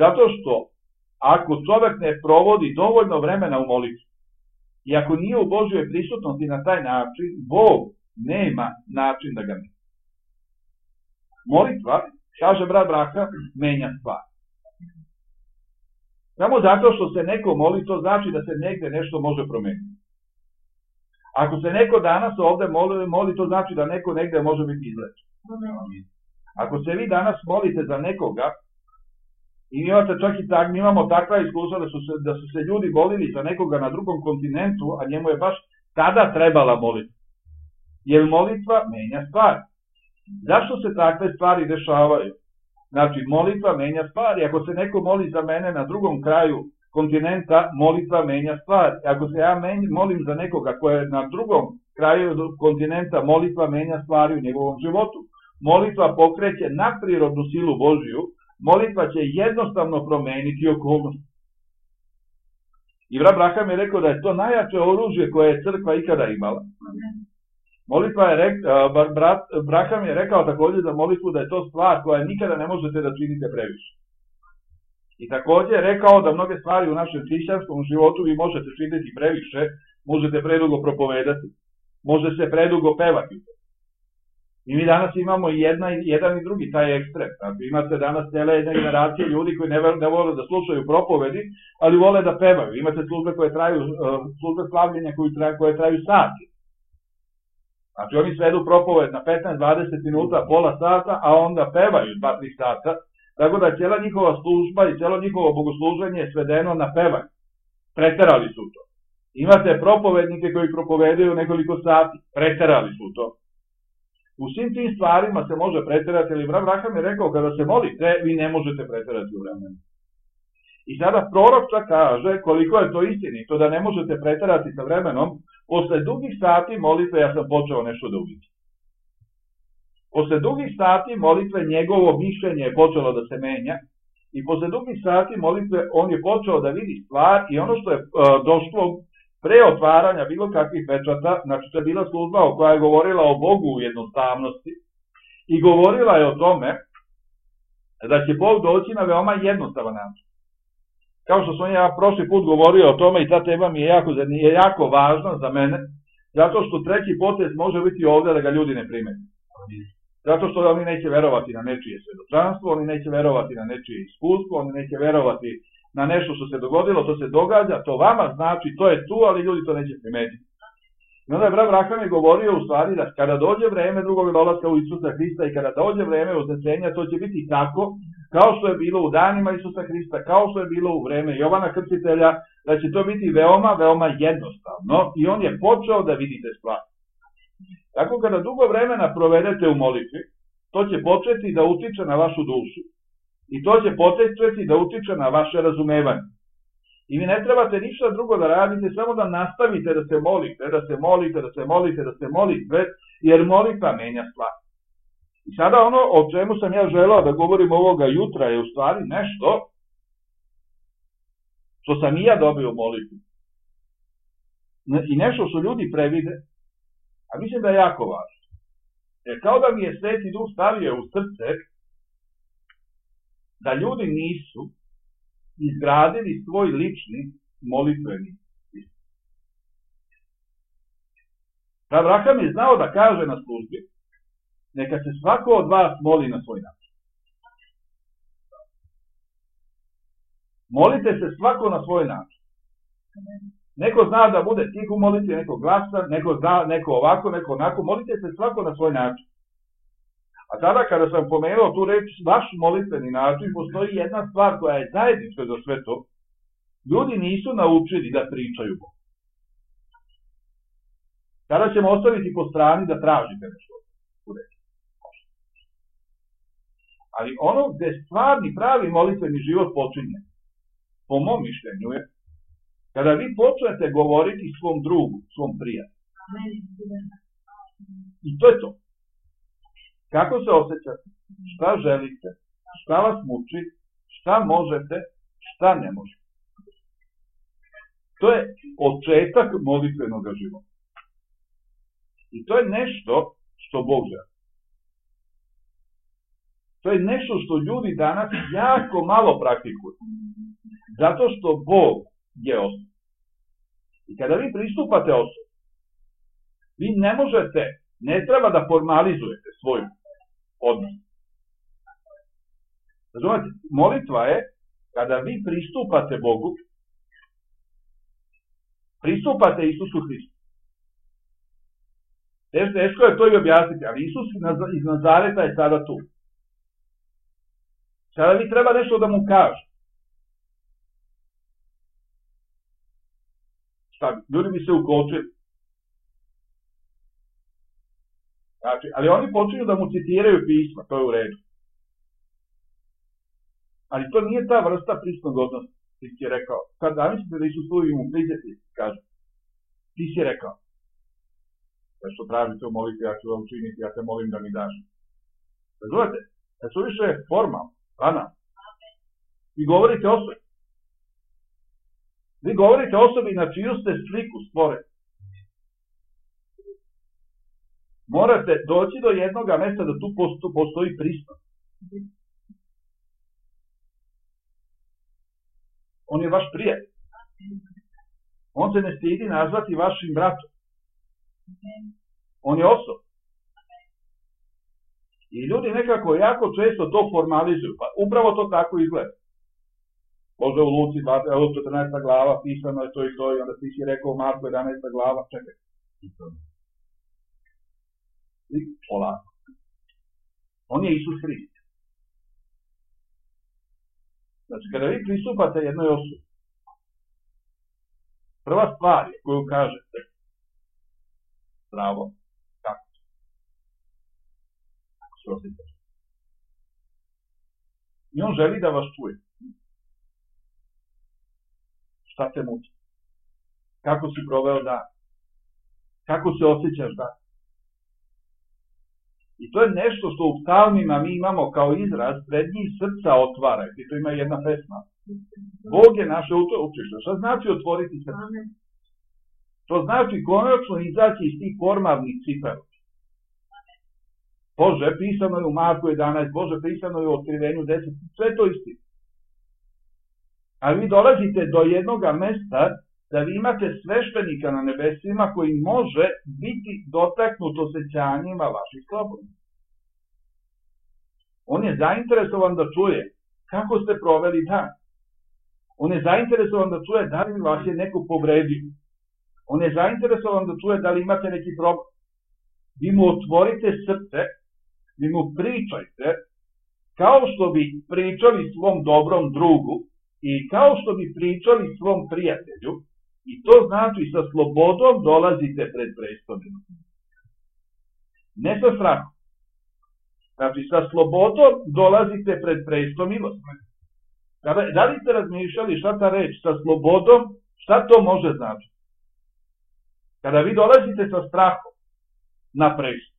A: Zato što ako čovek ne provodi dovoljno vremena u molitvi i ako nije u Božjoj prisutnosti na taj način, Bog nema način da ga menja. Molitva, kaže brat Braha, menja stvar. Samo zato što se neko moli, to znači da se negde nešto može promeniti. Ako se neko danas ovde moli, moli, to znači da neko negde može biti izlečen. Ako se vi danas molite za nekoga, i imate čak i tak, mi imamo takva iskustva da su, se, da su se ljudi molili za nekoga na drugom kontinentu, a njemu je baš tada trebala moliti. Jer molitva menja stvari. Zašto se takve stvari dešavaju? Znači, molitva menja stvari. Ako se neko moli za mene na drugom kraju kontinenta, molitva menja stvari. Ako se ja molim za nekoga koja je na drugom kraju kontinenta molitva menja stvari u njegovom životu. Molitva pokreće nadprirodnu silu Božiju, molitva će jednostavno promeniti okolnost. I brat Braham je rekao da je to najjače oružje koje je crkva ikada imala. Molitva je rekao, brat Braham je rekao također za molitvu da je to stvar koja nikada ne možete da činite previše. I također je rekao da mnoge stvari u našem hrišćanskom životu vi možete činiti previše, možete predugo propovedati, može se predugo pevati. I mi danas imamo jedna, jedan i drugi taj ekstrem. Znači, imate danas cijela jedna generacija ljudi koji ne, ne vole da slušaju propovedi, ali vole da pevaju. Imate službe koje traju, službe slavljenja koje traju, koje traju sati. Znači, oni svedu propoved na petnaest do dvadeset minuta, pola sata, a onda pevaju dva do tri sata. Tako da cijela njihova služba i cijelo njihovo bogosluženje je svedeno na pevanje. Preterali su to. Imate propovednike koji propovedaju nekoliko sati. Preterali su to. U svim tim stvarima se može preterati, ali brat Braham je rekao, kada se molite, vi ne možete preterati u vremenu. I sada prorok čak kaže koliko je to istinito, da ne možete preterati sa vremenom. Posle dugih sati molitve ja sam počeo nešto da uvidim. Posle dugih sati molitve njegovo mišljenje je počelo da se menja i posle dugih sati molitve on je počeo da vidi stvar i ono što je uh, došlo pre otvaranja bilo kakvih pečata, znači to je bila služba koja je govorila o Bogu u jednostavnosti i govorila je o tome da će Bog doći na veoma jednostavan način. Kao što sam ja prošli put govorio o tome i ta tema mi je jako, je jako važna za mene, zato što treći potez može biti ovdje da ga ljudi ne primete. Zato što oni neće verovati na nečije svedočanstvo, oni neće verovati na nečije iskustvo, oni neće verovati na nešto što se dogodilo, to se događa, to vama znači, to je tu, ali ljudi to neće primetiti. I onda je brat Braham je govorio u stvari da kada dođe vreme drugog dolaska u Isusa Hrista i kada dođe vreme uznesenja, to će biti tako, kao što je bilo u danima Isusa Hrista, kao što je bilo u vreme Jovana Krstitelja, da će to biti veoma, veoma jednostavno i on je počeo da vidite stvari. Tako kada dugo vremena provedete u molitvi, to će početi da utiče na vašu dušu i to će početi da utiče na vaše razumevanje. I vi ne trebate ništa drugo da radite, samo da nastavite da se molite, da se molite, da se molite, da se molite, jer molitva menja stvar. I sada ono o čemu sam ja želeo da govorim ovoga jutra je u stvari nešto što sam i ja dobio u molitvi. I nešto što ljudi previde, a mislim da je jako važno. Jer kao da mi je Sveti Duh stavio u srce da ljudi nisu izgradili svoj lični molitveni sistem. Abraham je znao da kaže na službi, neka se svako od vas moli na svoj način. Molite se svako na svoj način. Neko zna da bude tih u molitvi, neko glasan, neko zna, neko ovako, neko onako, molite se svako na svoj način. A tada kada sam pomenuo tu reč, vaš molitveni način, postoji jedna stvar koja je zajednička za sve to. Ljudi nisu naučili da pričaju Bogu. Tada ćemo ostaviti po strani da tražite nešto u reči. Ali ono gde stvarni, pravi molitveni život počinje, po mom mišljenju je, kada vi počnete govoriti svom drugu, svom prijatelju. I to je to. Kako se osjećate? Šta želite? Šta vas muči? Šta možete? Šta ne možete? To je početak molitvenog života. I to je nešto što Bog želi. To je nešto što ljudi danas jako malo praktikuju. Zato što Bog je osoba. I kada vi pristupate osobi, vi ne možete, ne treba da formalizujete svoj odnos. Razumete, molitva je kada vi pristupate Bogu, pristupate Isusu Hristu. Teško je to i objasniti, ali Isus iz Nazareta je sada tu. Sada vi treba nešto da mu kaže. Šta, ljudi bi se ukočili. Znači, ali oni počinju da mu citiraju pisma, to je u redu. Ali to nije ta vrsta prisnog odnosa, ti si rekao. Kad zamislite da Isus tu i mu priđete, kaže, ti si rekao. Nešto tražite u molitvi, ja ću vam učiniti, ja te molim da mi daš. Razumete? Da su više formalno, banalno. Vi govorite osobi. Vi govorite osobi na čiju ste sliku stvoreni. Morate doći do jednog mesta da tu postoji pristojnost. On je vaš prijatelj. On se ne stidi nazvati vašim bratom. On je osoba. I ljudi nekako jako često to formalizuju. Pa upravo to tako izgleda. Može u Luci četrnaesta glava, pisano je to i to, i onda ti si rekao Marko jedanaesta glava, čekaj. I polako. On je Isus Hrist. Znači, kada vi pristupate jednoj osobi, prva stvar je koju kažete, zdravo, kako se? Kako se osjećaš? I on želi da vas čuje. Šta te muči? Kako si proveo dan? Kako se osjećaš dan? I to je nešto što u psalmima mi imamo kao izraz, pred njih srca otvaraj. I to ima jedna pesma. Bog je naše utočište. Šta znači otvoriti srce? To znači konačno izaći iz tih formalnih cipela. Bože, pisano je u Marku jedanaest, Bože, pisano je u Otkrivenju deset, sve to isti. Ali vi dolazite do jednog mesta da vi imate sveštenika na nebesima koji može biti dotaknut osjećanjima vaših slobodnih. On je zainteresovan da čuje kako ste proveli dan. On je zainteresovan da čuje da li vas je neko povredio. On je zainteresovan da čuje da li imate neki problem. Vi mu otvorite srce, vi mu pričajte kao što bi pričali svom dobrom drugu i kao što bi pričali svom prijatelju. I to znači sa slobodom dolazite pred prestolom. Ne sa strahom. Znači sa slobodom dolazite pred prestolom milosti. Da li ste razmišljali šta ta reč sa slobodom, šta to može značiti? Kada vi dolazite sa strahom na prestol.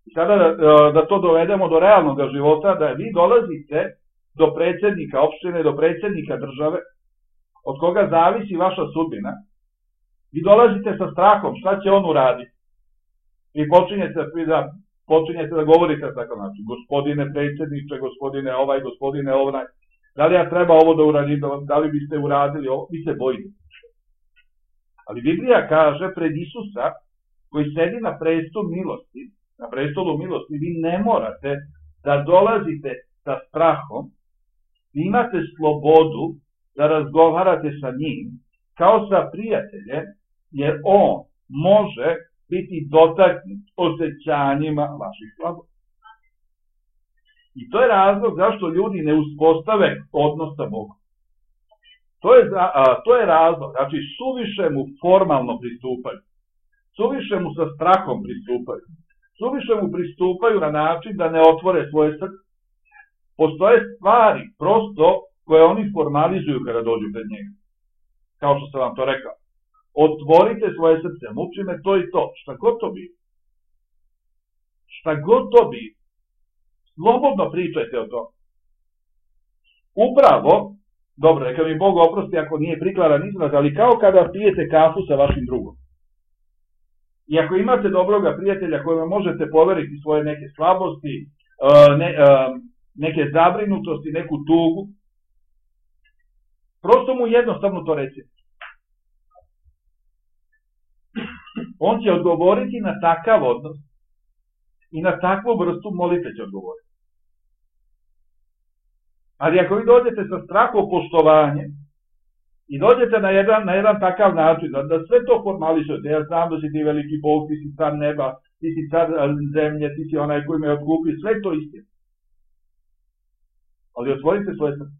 A: I sada da, da to dovedemo do realnog života, da vi dolazite do predsjednika opštine, do predsjednika države, od koga zavisi vaša sudbina, vi dolazite sa strahom, šta će on uraditi? I počinjete da, počinjete da govorite tako način, gospodine predsjedniče, gospodine ovaj, gospodine onaj, da li ja treba ovo da uradim, da li biste uradili ovo, vi se bojite. Ali Biblija kaže pred Isusa, koji sedi na prestolu milosti, na prestolu milosti, vi ne morate da dolazite sa strahom, vi imate slobodu da razgovarate sa njim kao sa prijateljem, jer on može biti dotaknut osjećanjima vaših slabosti. I to je razlog zašto ljudi ne uspostave odnos sa Bogom. To je, a, to je razlog, znači suviše mu formalno pristupaju, suviše mu sa strahom pristupaju, suviše mu pristupaju na način da ne otvore svoje srce. Postoje stvari prosto koje oni formalizuju kada dođu pred njega. Kao što sam vam to rekao. Otvorite svoje srce, muči me to i to, šta god to bi. Šta god to bi. Slobodno pričajte o tom. Upravo, dobro, neka mi Bog oprosti ako nije prikladan izraz, ali kao kada pijete kafu sa vašim drugom. I ako imate dobroga prijatelja kojima možete poveriti svoje neke slabosti, ne, neke zabrinutosti, neku tugu, prosto mu jednostavno to recite. On će odgovoriti na takav odnos i na takvu vrstu molitve će odgovoriti. Ali ako vi dođete sa strahopoštovanjem i dođete na jedan, na jedan takav način, da, da sve to formalizujete, ja znam da si ti veliki Bog, ti si car neba, ti si car zemlje, ti si onaj koji me otkupio, sve to istina. Ali otvorite svoje srce.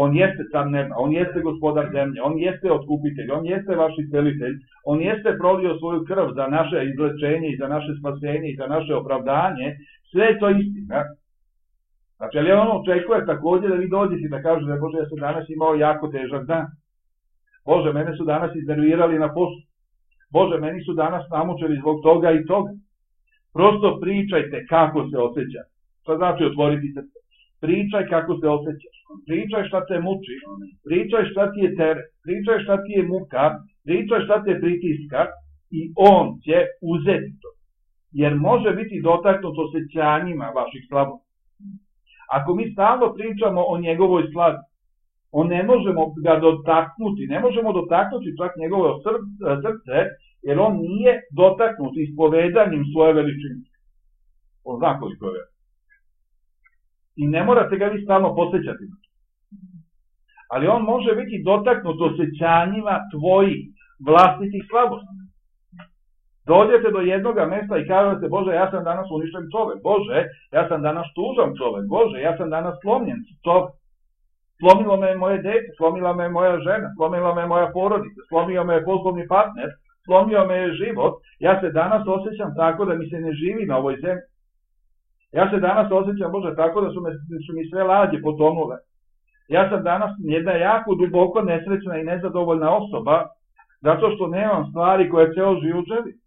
A: On jeste car neba, on jeste gospodar zemlje, on jeste otkupitelj, on jeste vaš iscelitelj, on jeste prolio svoju krv za naše izlečenje i za naše spasenje i za naše opravdanje, sve je to istina. Znači, ali on očekuje također da vi dođete da kažete, Bože, ja sam danas imao jako težak dan. Bože, mene su danas iznervirali na poslu. Bože, meni su danas namučili zbog toga i toga. Prosto pričajte kako se osjeća. Šta znači otvoriti srce? Pričaj kako se osjećaš. Pričaj šta te muči. Pričaj šta ti je teret. Pričaj šta ti je muka. Pričaj šta te pritiska. I on će uzeti to. Jer može biti dotaknut osjećanjima vaših slabosti. Ako mi stalno pričamo o njegovoj slavi, on ne možemo ga dotaknuti, ne možemo dotaknuti čak njegovo srce, jer on nije dotaknut ispovedanjem svoje veličine. On zna koliko je. I ne morate ga vi stalno posjećati. Ali on može biti dotaknut osjećanjima tvojih vlastitih slabosti. Dođete do jednoga mesta i kažete, Bože, ja sam danas uništen čovek, Bože, ja sam danas tužan čovek, Bože, ja sam danas slomljen čovek. Slomilo me moje dete, slomila me moja žena, slomila me moja porodica, slomio me poslovni partner, slomio me život. Ja se danas osjećam tako da mi se ne živi na ovoj zemlji. Ja se danas osjećam, Bože, tako da su, me, su mi sve lađe potonule. Ja sam danas jedna jako duboko nesrećna i nezadovoljna osoba, zato što nemam stvari koje ceo život želim.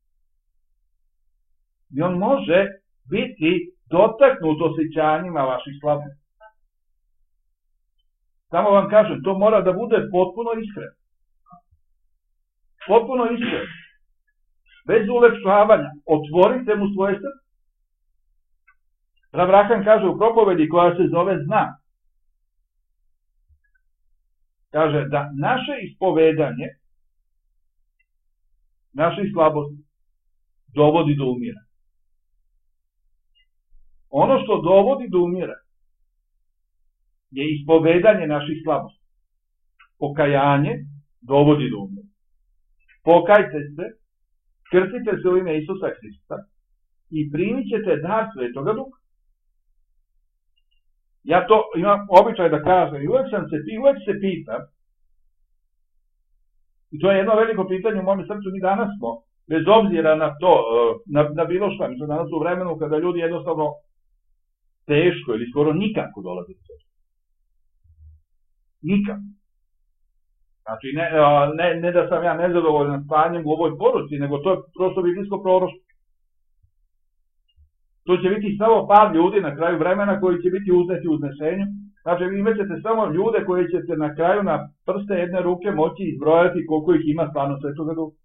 A: I on može biti dotaknut osjećanjima vaših slabosti. Samo vam kažem, to mora da bude potpuno iskreno. Potpuno iskreno. Bez ulepšavanja. Otvorite mu svoje srce. Rav Raham kaže u propovedi koja se zove Znak. Kaže da naše ispovedanje naših slabosti dovodi do umira. Ono što dovodi do umira je ispovedanje naših slabosti. Pokajanje dovodi do umira. Pokajte se, krstite se u ime Isusa Hrista i primit ćete dar Svetoga Duha. Ja to imam običaj da kažem i uvek, sam se, uvek se pitam, i to je jedno veliko pitanje u mome srcu, mi danas smo, bez obzira na to, na, na bilo šta, mi smo danas u vremenu kada ljudi jednostavno teško ili skoro nikako dolaze do sebe. Nikako. Znači, ne, ne, ne da sam ja nezadovoljan stanjem u ovoj poruci, nego to je prosto biblijsko proroštvo. To će biti samo par ljudi na kraju vremena koji će biti uzneti u uznesenju. Znači, vi imat ćete samo ljude koji ćete na kraju na prste jedne ruke moći izbrojati koliko ih ima stvarno Svetoga Duha.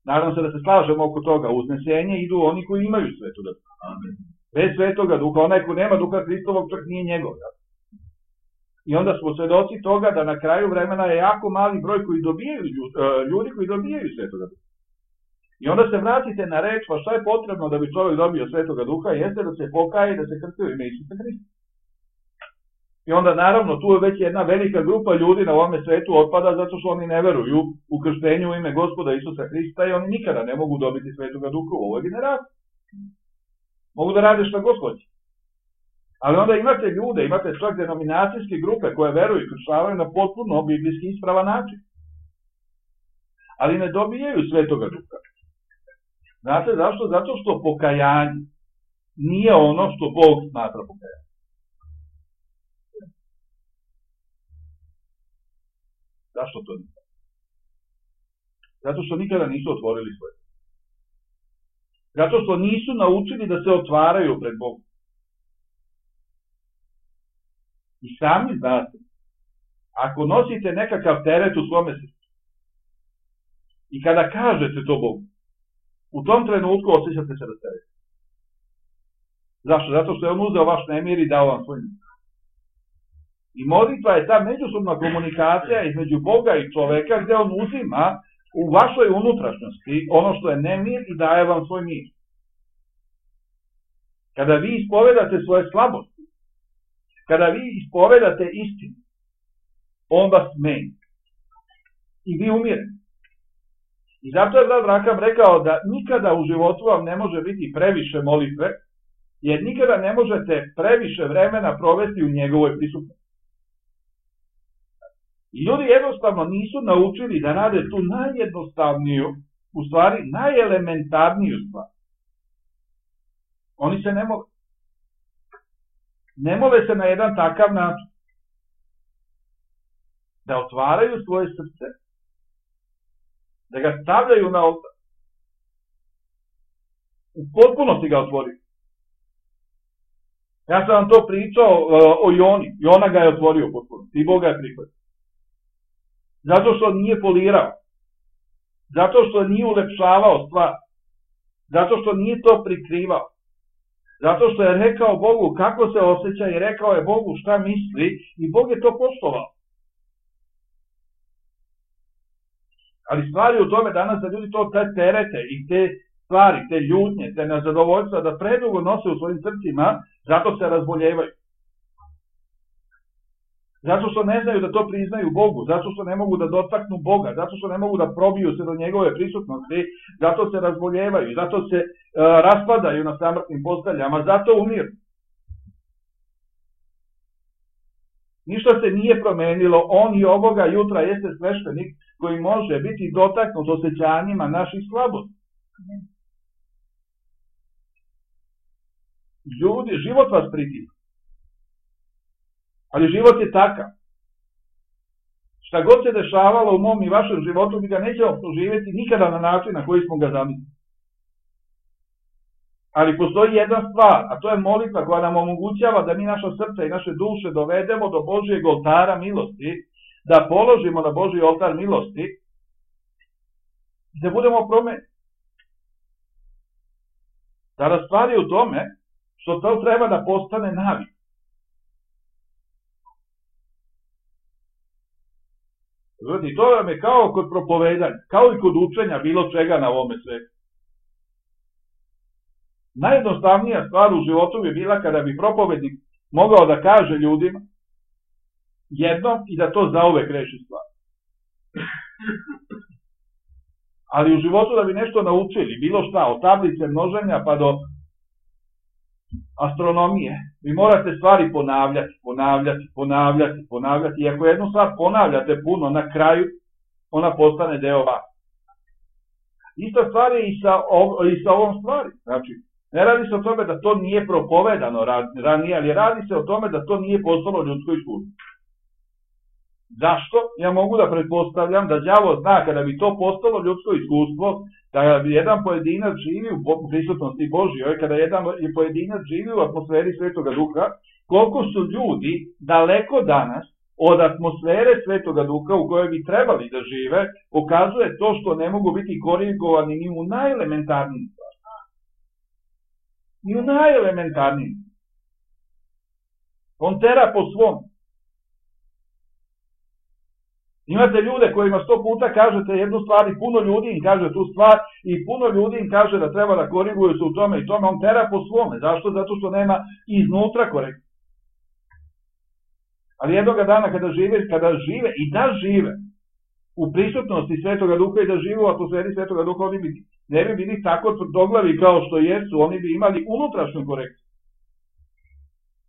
A: Nadam se da se slažemo oko toga. U uznesenje idu oni koji imaju Svetoga Duha. Bez Svetoga Duha, onaj ko nema Duha Hristovog čak nije njegov. I onda smo svedoci toga da na kraju vremena je jako mali broj koji dobijaju ljudi koji dobijaju Svetoga Duha. I onda se vratite na reč, pa šta je potrebno da bi čovjek dobio Svetoga Duha, jeste da se pokaje i da se krsti u ime Isusa Hrista. I onda naravno tu je već jedna velika grupa ljudi na ovome svetu otpada zato što oni ne veruju u krštenju u ime Gospoda Isusa Hrista i oni nikada ne mogu dobiti Svetoga Duha u ovoj generaciji. Mogu da rade šta god hoće. Ali onda imate ljude, imate čak denominacijske grupe koje veruju i krštavaju na potpuno biblijski ispravan način. Ali ne dobijaju Svetoga Duha. Znate zašto? Zato što pokajanje nije ono što Bog smatra pokajanje. Zašto to nije? Zato što nikada nisu otvorili svoje. Zato što nisu naučili da se otvaraju pred Bogom. I sami znate, ako nosite nekakav teret u svome srcu i kada kažete to Bogu, u tom trenutku osjećate se rasterećeni. Zašto? Zato što je on uzeo vaš nemir i dao vam svoj mir. I molitva je ta međusobna komunikacija između Boga i čoveka gdje on uzima u vašoj unutrašnjosti ono što je nemir i daje vam svoj mir. Kada vi ispovedate svoje slabosti, kada vi ispovedate istinu, on vas meni. I vi umirete. I zato je Rav Raham rekao da nikada u životu vam ne može biti previše molitve, jer nikada ne možete previše vremena provesti u njegovoj prisutnosti. I ljudi jednostavno nisu naučili da rade tu najjednostavniju, u stvari najelementarniju stvar. Oni se ne mole. Ne mole se na jedan takav način. Da otvaraju svoje srce da ga stavljaju na oltar. U potpunosti ga otvorio. Ja sam vam to pričao uh, o Joni. Jona ga je otvorio potpuno. I Bog ga je prihvatio. Zato što nije polirao. Zato što nije ulepšavao stvar. Zato što nije to prikrivao. Zato što je rekao Bogu kako se osjeća i rekao je Bogu šta misli i Bog je to poštovao. Ali stvari u tome danas da ljudi to te terete i te stvari, te ljutnje, te nezadovoljstva da predugo nose u svojim srcima, zato se razboljevaju. Zato što ne znaju da to priznaju Bogu, zato što ne mogu da dotaknu Boga, zato što ne mogu da probiju se do njegove prisutnosti, zato se razboljevaju, zato se uh, raspadaju na samrtnim posteljama, zato umiru. Ništa se nije promenilo, on i ovoga jutra jeste sveštenik koji može biti dotaknut osjećanjima naših slabosti. Ljudi, život vas pritisne. Ali život je takav. Šta god se dešavalo u mom i vašem životu, mi ga nećemo proživjeti nikada na način na koji smo ga zamislili. Ali postoji jedna stvar, a to je molitva koja nam omogućava da mi naša srca i naše duše dovedemo do Božijeg oltara milosti, da položimo na Božji oltar milosti i da budemo promenjeni. Tada stvar je u tome što to treba da postane navik. I to vam je kao kod propovedanja, kao i kod učenja bilo čega na ovome svetu. Najjednostavnija stvar u životu bi bila kada bi propovednik mogao da kaže ljudima jednom i da to zauvek reši stvar. Ali u životu da bi nešto naučili, bilo šta, od tablice množenja pa do astronomije, vi morate stvari ponavljati, ponavljati, ponavljati, ponavljati. I ako jednu stvar ponavljate puno, na kraju ona postane deo vas. Ista stvar je i sa, i sa ovom stvari. Znači, ne radi se o tome da to nije propovedano ranije, ali radi se o tome da to nije postalo ljudsko iskustvo. Zašto? Ja mogu da pretpostavljam da đavo zna kada bi to postalo ljudsko iskustvo, da bi jedan pojedinac živi u prisutnosti Božjoj, kada jedan pojedinac živi u atmosferi Svetoga Duha, koliko su ljudi daleko danas od atmosfere Svetoga Duha u kojoj bi trebali da žive, pokazuje to što ne mogu biti korigovani ni u najelementarnijim stvarima. Ni u najelementarnijim. On tera po svom. Imate ljude kojima sto puta kažete jednu stvar i puno ljudi im kaže tu stvar i puno ljudi im kaže da treba da koriguju se u tome i tome, on tera po svome. Zašto? Zato što nema iznutra korekcije. Ali jednoga dana kada žive, kada žive i da žive u prisutnosti Svetoga Duha i da žive u atmosferi Svetoga Duha, oni bi, ne bi bili tako tvrdoglavi kao što jesu, oni bi imali unutrašnju korekciju.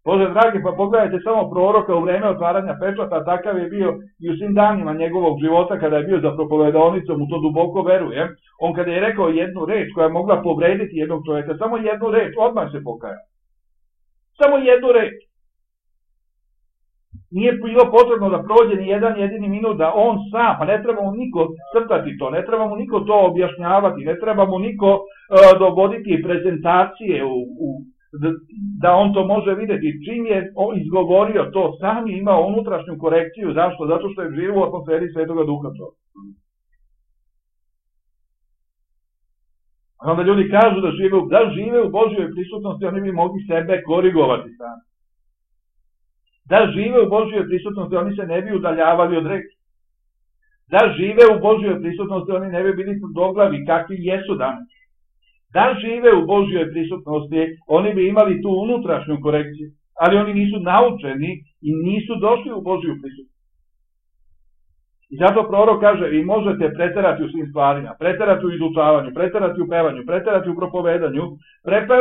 A: Bože dragi, pa pogledajte samo proroka u vreme otvaranja pečata, takav je bio i u svim danima njegovog života kada je bio za propovedaonicom, u to duboko verujem. On kada je rekao jednu reč koja je mogla povrediti jednog čovjeka, samo jednu reč, odmah se pokajao. Samo jednu reč. Nije bilo potrebno da prođe ni jedan jedini minut da on sam, pa ne treba mu niko crtati to, ne treba mu niko to objašnjavati, ne treba mu niko uh, dovoditi prezentacije u, u da on to može vidjeti. Čim je izgovorio to, sam je imao unutrašnju korekciju. Zašto? Zato što je živo u atmosferi Svetoga Duha. A onda ljudi kažu da žive, da žive u Božjoj prisutnosti, oni bi mogli sebe korigovati sami. Da žive u Božjoj prisutnosti, oni se ne bi udaljavali od reči. Da žive u Božjoj prisutnosti, oni ne bi bili tvrdoglavi kakvi jesu danas. Da žive u Božjoj prisutnosti, oni bi imali tu unutrašnju korekciju, ali oni nisu naučeni i nisu došli u Božju prisutnost. I zato prorok kaže, vi možete preterati u svim stvarima, preterati u izučavanju, preterati u pevanju, preterati u propovedanju, prepe,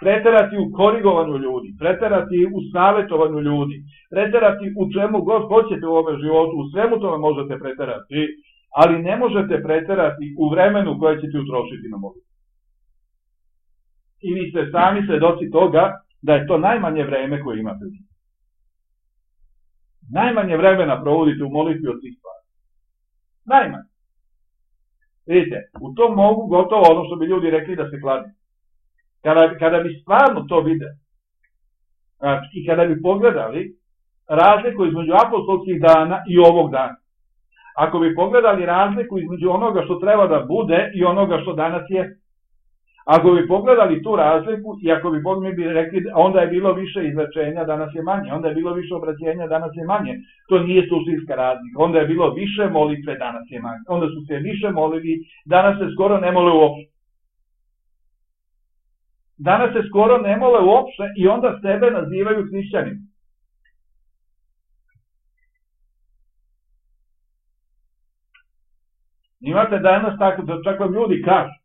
A: preterati u korigovanju ljudi, preterati u savjetovanju ljudi, preterati u čemu god hoćete u ovom životu, u svemu tome možete preterati, ali ne možete preterati u vremenu koje ćete utrošiti na molitvu. I vi ste sami svedoci toga da je to najmanje vreme koje imate. Najmanje vremena provodite u molitvi od svih stvari. Najmanje. Vidite, u tom mogu gotovo ono što bi ljudi rekli da se kladi. Kada, kada bi stvarno to videli, znači, i kada bi pogledali razliku između apostolskih dana i ovog dana, ako bi pogledali razliku između onoga što treba da bude i onoga što danas je, ako bi pogledali tu razliku i ako bi mi bi rekli onda je bilo više izlečenja, danas je manje, onda je bilo više obraćenja, danas je manje, to nije suštinska razlika, onda je bilo više molitve, danas je manje, onda su se više molili, danas se skoro ne mole uopšte. Danas se skoro ne mole uopšte i onda sebe nazivaju hrišćanima. Imate danas tako da čak vam ljudi kažu,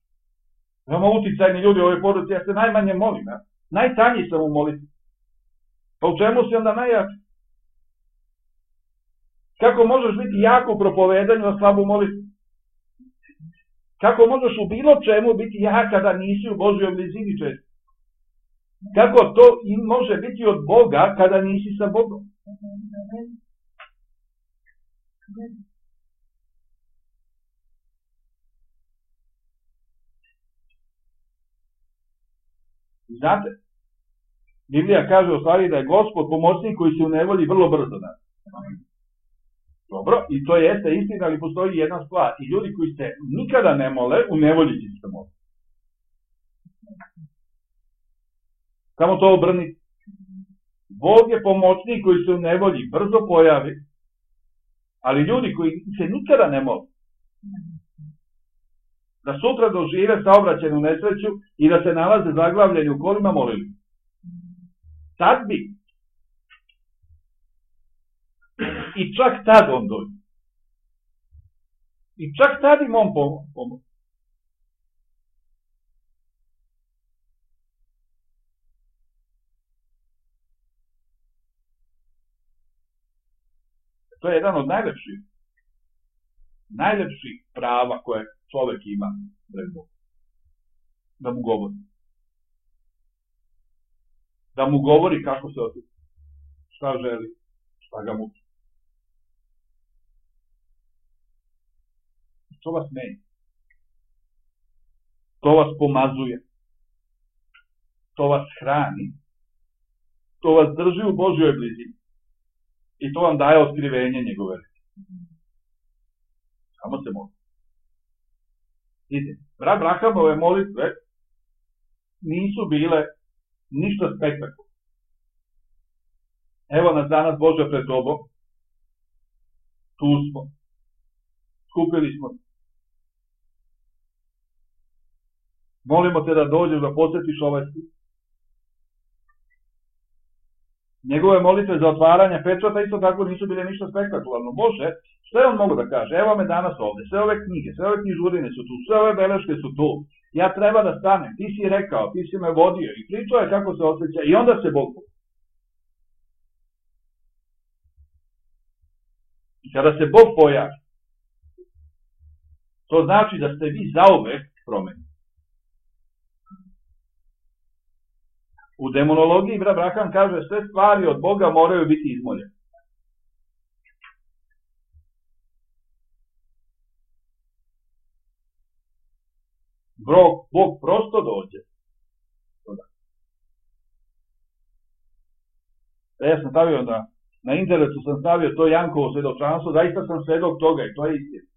A: imamo uticajni ljudi u ovoj poruci, ja se najmanje molim, ja? Najtanji sam u molitvi. Pa u čemu si onda najjači? Kako možeš biti jak u propovedanju, a slab u molitvi? Kako možeš u bilo čemu biti jak kada nisi u Božjoj blizini često? Kako to može biti od Boga kada nisi sa Bogom? Znate, Biblija kaže u stvari da je Gospod pomoćnik koji se u nevolji vrlo brzo da. Dobro, i to jeste istina, ali postoji jedna stvar. I ljudi koji se nikada ne mole, u nevolji će se moliti. Samo to obrnite. Bog je pomoćnik koji se u nevolji brzo pojavi, ali ljudi koji se nikada ne mole, da sutra dožive saobraćajnu nesreću i da se nalaze zaglavljeni u kolima, molili. Tad bi. I čak tad on dođe. I čak tad im on pomoći. To je jedan od najlepših, najlepših prava koje čovek ima pred Bogom. Da mu govori. Da mu govori kako se osjeća. Šta želi, šta ga muči. To vas menja. To vas pomazuje. To vas hrani. To vas drži u Božjoj blizini. I to vam daje otkrivenje njegove reči. Samo se moli. Vidite, brat Brahamove molitve nisu bile ništa spektakularno. Evo nas danas, Bože, pred tobom. Tu smo. Skupili smo. Molimo te da dođeš da posjetiš ovaj stik. Njegove molitve za otvaranje pečata isto tako nisu bile ništa spektakularno. Bože, što je on mogu da kaže? Evo me danas ovde, sve ove knjige, sve ove knjižurine su tu, sve ove beleške su tu. Ja treba da stanem, ti si rekao, ti si me vodio i pričao je kako se osjeća i onda se Bog pojavi. I kada se Bog pojavi, to znači da ste vi zauvek promenili. U demonologiji brat Braham kaže sve stvari od Boga moraju biti izmoljene. Bog, Bog prosto dođe. Ja sam stavio na, na internetu sam stavio to Jankovo svedočanstvo, zaista sam svedok toga i to je istina.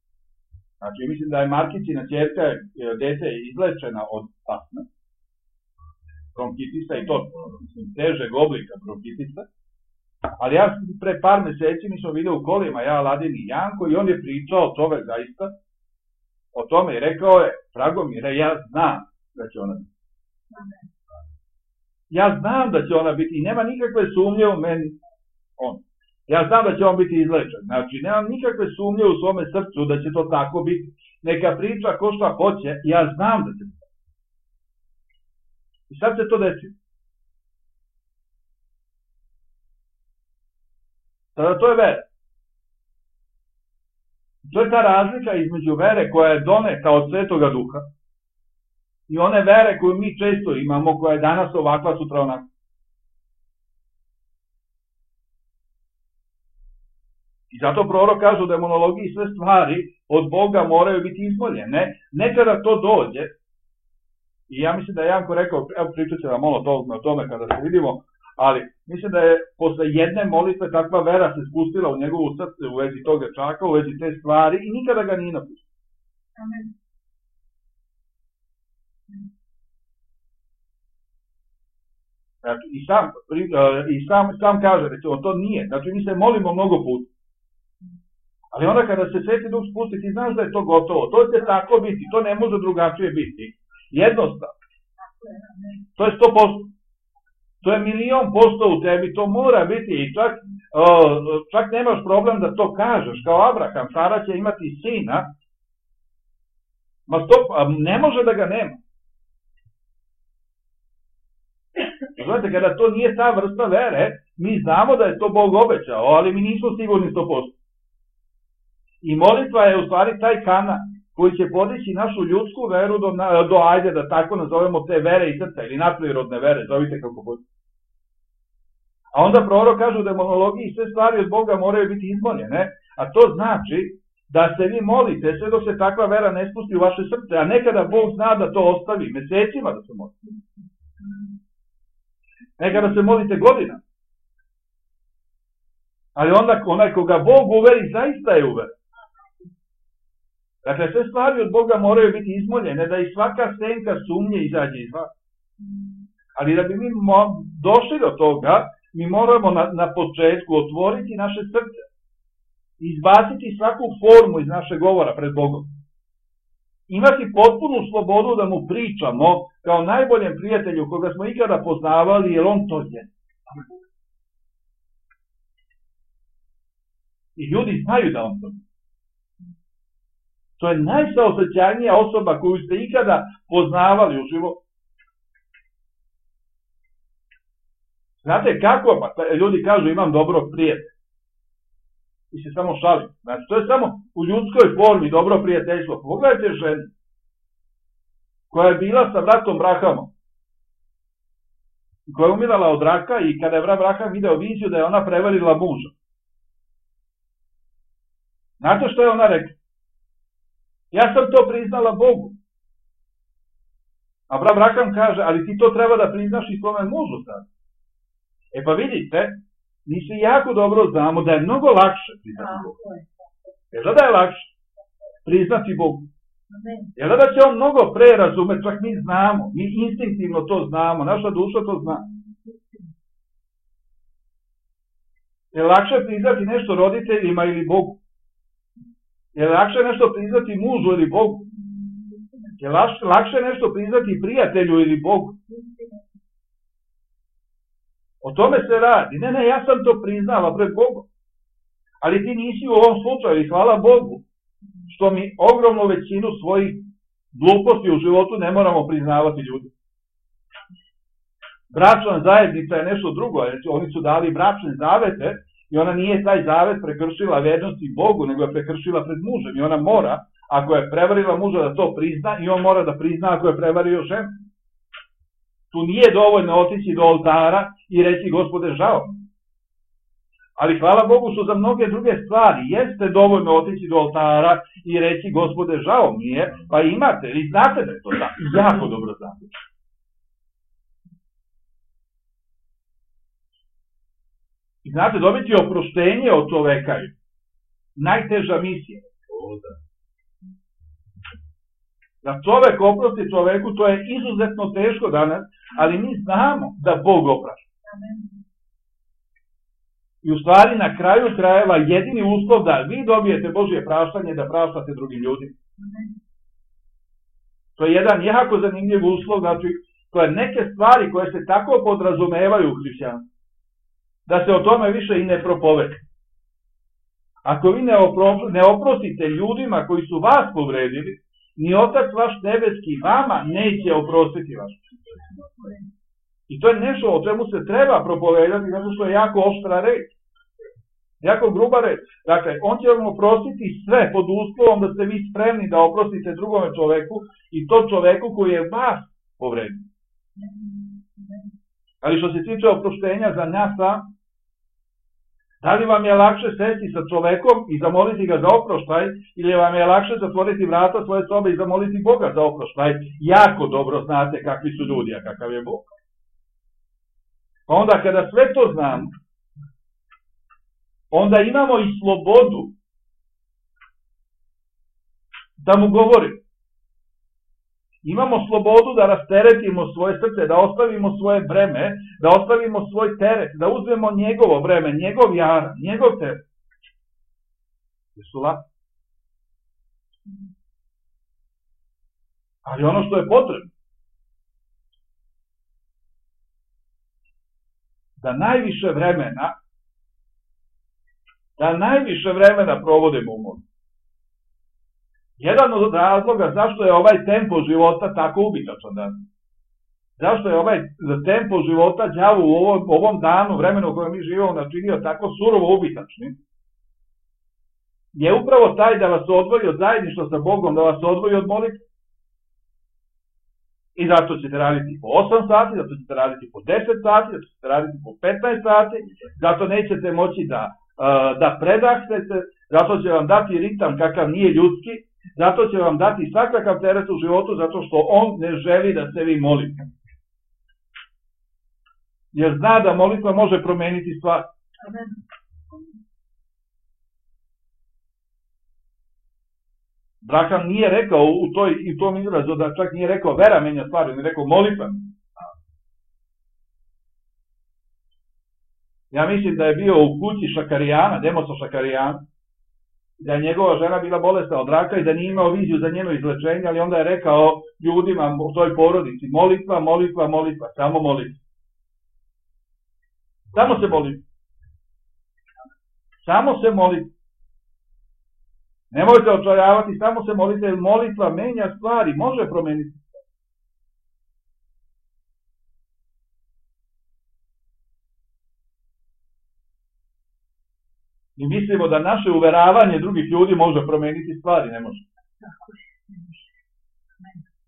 A: Znači mislim da je Markicina ćerka, dete izlečena od astme, bronkitisa i to, mislim, težeg oblika bronkitisa, ali ja pre par meseci mi smo vidio u kolima, ja, Aladin i Janko, i on je pričao čovek zaista o tome i rekao je, Dragomire, ja znam da će ona biti. Ja znam da će ona biti i nema nikakve sumnje u meni on. Ja znam da će on biti izlečen, znači nemam nikakve sumnje u svome srcu da će to tako biti. Neka priča ko šta hoće, ja znam da će biti. I sad se to desi. Tada to je vera. To je ta razlika između vere koja je doneta od Svetoga Duha i one vere koju mi često imamo, koja je danas ovakva, sutra onakva. I zato prorok kaže u demonologiji sve stvari od Boga moraju biti izmoljene. Nekada to dođe, i ja mislim da je Janko rekao, evo pričat će vam malo o tome kada se vidimo, ali mislim da je posle jedne molitve takva vera se spustila u njegovu srce u vezi tog dečaka, u vezi te stvari i nikada ga nije napustila.
B: Amen.
A: Znači, i sam, i sam, sam kaže, recimo, to nije, znači mi se molimo mnogo puta. Ali onda kada se Sveti Duh spusti, ti znaš da je to gotovo, to će tako biti, to ne može drugačije biti. Jednostavno. To je sto posto. To je milion posto u tebi, to mora biti i čak, čak nemaš problem da to kažeš, kao Abraham, Sara će imati sina, ma stop, ne može da ga nema. Znate, kada to nije ta vrsta vere, mi znamo da je to Bog obećao, ali mi nismo sigurni sto posto. I molitva je u stvari taj kanal koji će podići našu ljudsku veru do, do ajde da tako nazovemo te vere i srca, ili nadprirodne vere, zovite kako hoćete. A onda prorok kaže u demonologiji sve stvari od Boga moraju biti izmoljene, a to znači da se vi molite sve dok se takva vera ne spusti u vaše srce, a nekada Bog zna da to ostavi mesecima da se molite. Nekada se molite godina. Ali onda onaj koga Bog uveri, zaista je uveren. Dakle, sve stvari od Boga moraju biti izmoljene, da i svaka senka sumnje izađe iz vas. Ali da bi mi došli do toga, mi moramo na, na početku otvoriti naše srce. Izbaciti svaku formu iz našeg govora pred Bogom. Imati potpunu slobodu da mu pričamo kao najboljem prijatelju koga smo ikada poznavali, jer on to je. I ljudi znaju da on to je. To je najsaosećajnija osoba koju ste ikada poznavali u životu. Znate kako? Pa ljudi kažu imam dobrog prijatelja. I se samo šalim. Znači, to je samo u ljudskoj formi dobro prijateljstvo. Pogledajte ženu koja je bila sa bratom Brahamom, koja je umirala od raka i kada je brat Braham video viziju da je ona prevarila muža. Znate što je ona rekla? Ja sam to priznala Bogu. A brat Braham kaže, ali ti to treba da priznaš i svome mužu sad. E pa vidite, mi se jako dobro znamo da je mnogo lakše priznati Bogu. Jer da je lakše priznati Bogu. Jer da će on mnogo pre razumeti, čak mi znamo, mi instinktivno to znamo, naša duša to zna. Je lakše priznati nešto roditeljima ili Bogu? Je lakše nešto priznati mužu ili Bogu? Je lakše nešto priznati prijatelju ili Bogu? O tome se radi. Ne, ne, ja sam to priznala pred Bogom. Ali ti nisi u ovom slučaju i hvala Bogu što mi ogromnu većinu svojih gluposti u životu ne moramo priznavati ljudi. Bračna zajednica je nešto drugo. Oni su dali bračne zavete i ona nije taj zavet prekršila vernosti Bogu, nego je prekršila pred mužem. I ona mora, ako je prevarila muža, da to prizna i on mora da prizna ako je prevario ženu. Tu nije dovoljno otići do oltara i reći Gospode žao. Ali hvala Bogu što za mnoge druge stvari jeste dovoljno otići do oltara i reći Gospode žao mi je, pa imate, i znate da je to tako, jako dobro znate. I znate, dobiti oproštenje od čoveka je najteža misija. Da čovek oprosti čoveku, to je izuzetno teško danas, ali mi znamo da Bog oprašta. I u stvari na kraju krajeva jedini uslov da vi dobijete Božje praštanje da praštate drugim ljudima. To je jedan jako zanimljiv uslov, znači to je neke stvari koje se tako podrazumevaju u hrišćanstvu, da se o tome više i ne propovede. Ako vi ne, opro, ne oprostite ljudima koji su vas povredili, ni Otac vaš nebeski vama neće oprostiti vaš. I to je nešto o čemu se treba propovedati, zato što je jako oštra reč. Jako gruba reč. Dakle, on će vam oprostiti sve pod uslovom da ste vi spremni da oprostite drugome čoveku i to čoveku koji je vas povredio. Ali što se tiče oproštenja za nas, Da li vam je lakše sesti sa čovekom i zamoliti ga za oproštaj, ili vam je lakše zatvoriti vrata svoje sobe i zamoliti Boga za oproštaj? Jako dobro znate kakvi su ljudi, a kakav je Bog. Pa onda kada sve to znamo, onda imamo i slobodu da mu govorimo. Imamo slobodu da rasteretimo svoje srce, da ostavimo svoje breme, da ostavimo svoj teret, da uzmemo njegovo breme, njegov jaran, njegov teret. Jesu lako? Ali ono što je potrebno, da najviše vremena, da najviše vremena provodimo u modlitvi. Jedan od razloga zašto je ovaj tempo života tako ubitačan danas, zašto je ovaj tempo života đavu u ovom, ovom danu, vremenu u kojem mi živimo, načinio tako surovo ubitačnim, je upravo taj da vas odvoji od zajedništva sa Bogom, da vas odvoji od molitve. I zato ćete raditi po osam sati, zato ćete raditi po deset sati, zato ćete raditi po petnaest sati, zato nećete moći da, da predahnete, zato će vam dati ritam kakav nije ljudski, zato će vam dati svakakav teret u životu, zato što on ne želi da se vi molite. Jer zna da molitva može promeniti stvar. Braham nije rekao u, toj, u tom izrazu da čak nije rekao vera menja stvari, on je rekao molitva. Ja mislim da je bio u kući Šakarijana, Demosa Šakarijana, da je njegova žena bila bolesna od raka i da nije imao viziju za njeno izlečenje, ali onda je rekao ljudima u toj porodici, molitva, molitva, molitva, samo molitva. Samo se molite. Samo se molite. Nemojte očajavati, samo se molite, jer molitva menja stvari, može promeniti. Mi mislimo da naše uveravanje drugih ljudi može promeniti stvari, ne može.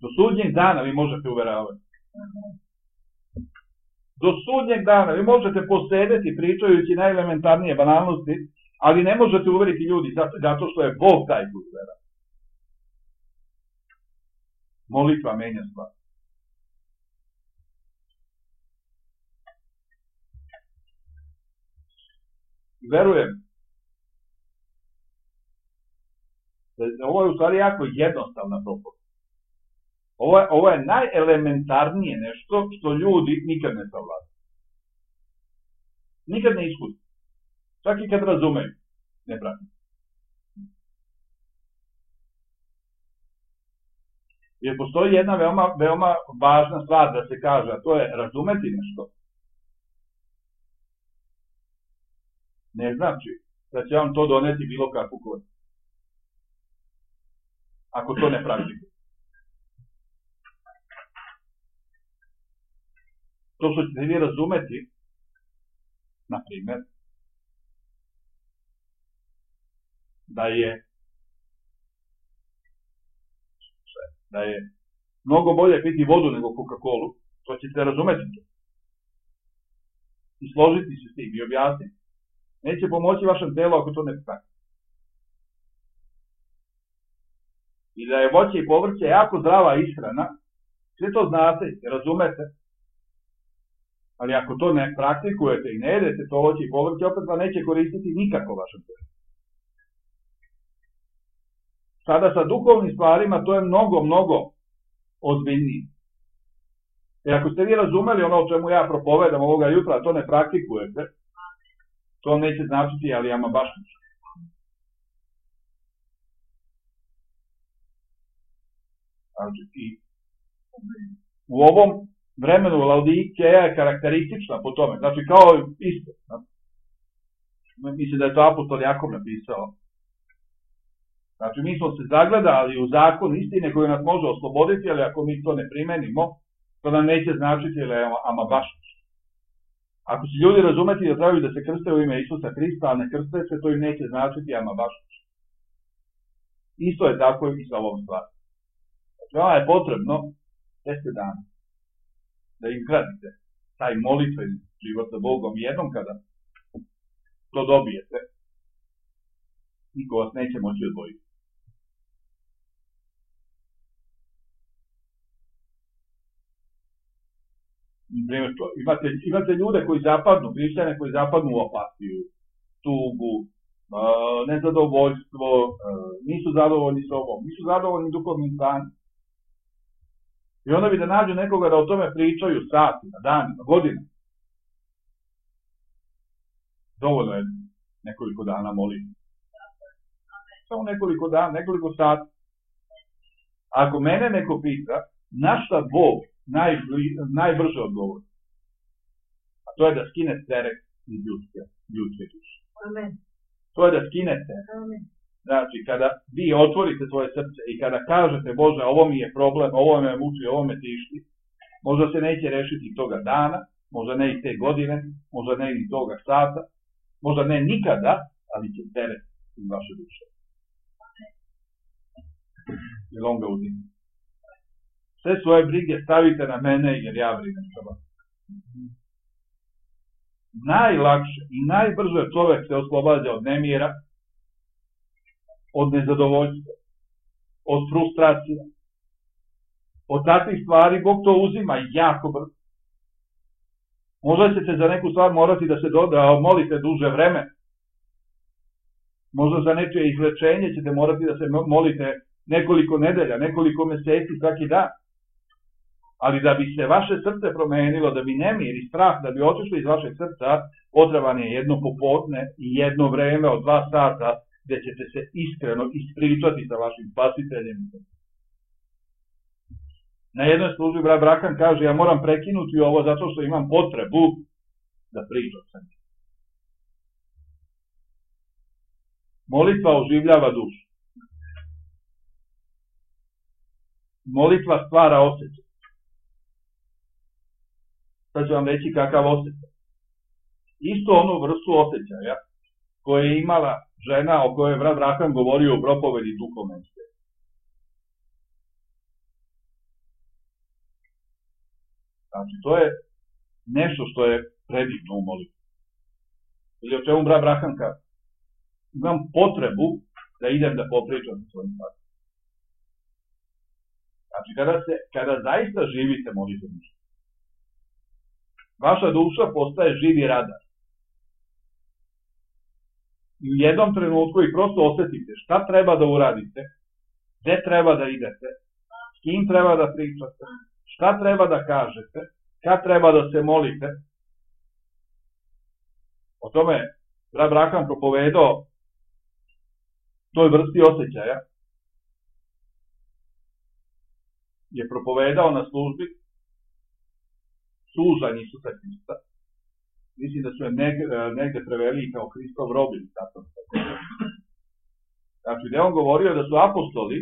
A: Do sudnjeg dana vi možete uveravati. Do sudnjeg dana vi možete posedeti pričajući najelementarnije banalnosti, ali ne možete uveriti ljudi zato što je Bog taj koji uvera. Molitva menja stvar. Verujem da ovo je u stvari jako jednostavna propovedba. Ovo je, ovo je najelementarnije nešto što ljudi nikad ne savladaju. Nikad ne iskusi. Čak i kad razumeju, ne pratim. Jer postoji jedna veoma, veoma važna stvar da se kaže, a to je razumeti nešto. Ne znači da će vam to doneti bilo kakvu korist. Ako to ne praktikuje. To što ćete vi razumeti, na primjer, da je da je mnogo bolje piti vodu nego Coca-Colu, to ćete razumeti to. I složiti se s tim i objasniti. Neće pomoći vašem telu ako to ne praktikuje. I da je voće i povrće jako zdrava ishrana, sve to znate, razumete, ali ako to ne praktikujete i ne jedete to voće i povrće, opet vam neće koristiti nikako vašem telu. Sada sa duhovnim stvarima to je mnogo, mnogo ozbiljnije. I ako ste vi razumeli ono o čemu ja propovedam ovoga jutra, a to ne praktikujete, to vam neće značiti, ali ama baš ništa. I u ovom vremenu Laodikeja je karakteristična po tome, znači kao isto. Mislim da je to apostol Jakov napisao. Znači mi smo se zagledali u zakon istine koji nas može osloboditi, ali ako mi to ne primenimo, to nam neće značiti, ali ama baš ništa. Ako će ljudi razumeti da trebaju da se krste u ime Isusa Hrista, a ne krste se, to im neće značiti, ama baš ništa. Isto je tako i sa ovom stvari. Vama je potrebno deset dana da izgradite taj molitveni život sa Bogom. Jednom kada što dobijete, niko vas neće moći odvojiti. Imate, imate ljude koji zapadnu, hrišćane koji zapadnu u apatiju, tugu, nezadovoljstvo, nisu zadovoljni sobom, nisu zadovoljni duhovnim stanjem. I onda bi da nađu nekoga da o tome pričaju satima, danima, godinama. Dovoljno je nekoliko dana moliti. Samo nekoliko dana, nekoliko sati. Ako mene neko pita, na šta Bog najbli, najbrže odgovori? A to je da skine teret iz ljudske, ljudske duše.
B: Amen.
A: To je da skinete.
B: Amen.
A: Znači, kada vi otvorite svoje srce i kada kažete, Bože, ovo mi je problem, ovo me muči, ovo me tišti, možda se neće rešiti toga dana, možda ne i te godine, možda ne i toga sata, možda ne nikada, ali će teret iz vaše duše. Jer on ga uzima. Sve svoje brige stavite na mene jer ja brinem za vas. Najlakše i najbrže čovjek se oslobađa od nemira, od nezadovoljstva, od frustracija, od takvih stvari. Bog to uzima jako brzo. Možda ćete za neku stvar morati da se da molite duže vreme. Možda za nečije izlečenje ćete morati da se molite nekoliko nedelja, nekoliko meseci, svaki dan. Ali da bi se vaše srce promenilo, da bi nemir i strah, da bi otišli iz vašeg srca, potreban je jedno popodne i jedno vreme od dva sata gde ćete se iskreno ispričati sa vašim spasiteljem. Na jednoj službi brat Brakan kaže, ja moram prekinuti ovo zato što imam potrebu da pričam sa njim. Molitva oživljava dušu. Molitva stvara osjećaj. Sad ću vam reći kakav osjećaj. Isto onu vrstu osjećaja koje je imala žena o kojoj je brat Brakan govorio u propovedi duhovnosti. Znači, to je nešto što je predivno u molitvi. Ili o čemu brat Brakan kaže? Imam potrebu da idem da popričam sa svojim stvarima. Znači, kada, se, kada zaista živite molitvom, vaša duša postaje živi radar. I u jednom trenutku i prosto osetite šta treba da uradite, gde treba da idete, s kim treba da pričate, šta treba da kažete, kad treba da se molite. O tome brat Brakan propovedao toj vrsti osjećaja, je propovedao na službi sužanj Isusa Hrista. Mislim da su je negde, negde preveli kao Hristov robin. Znači, gde on govorio da su apostoli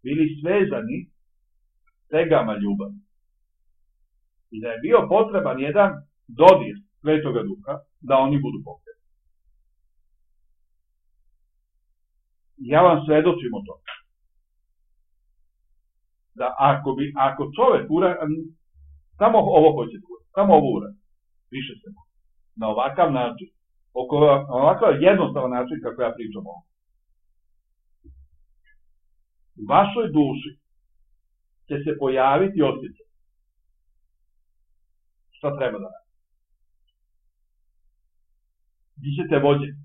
A: bili svezani tegama ljubavi. I da je bio potreban jedan dodir Svetoga Duha da oni budu pokretni. Ja vam svedočim o tome. Da ako, bi, ako čovek uradi, samo ovo hoćete uradi, samo ovo uradi, više se može. Na ovakav način, oko, na ovakav jednostavan način kako ja pričam ovo. U vašoj duši će se pojaviti osjećaj. Šta treba da radi? Vi ćete vođeni.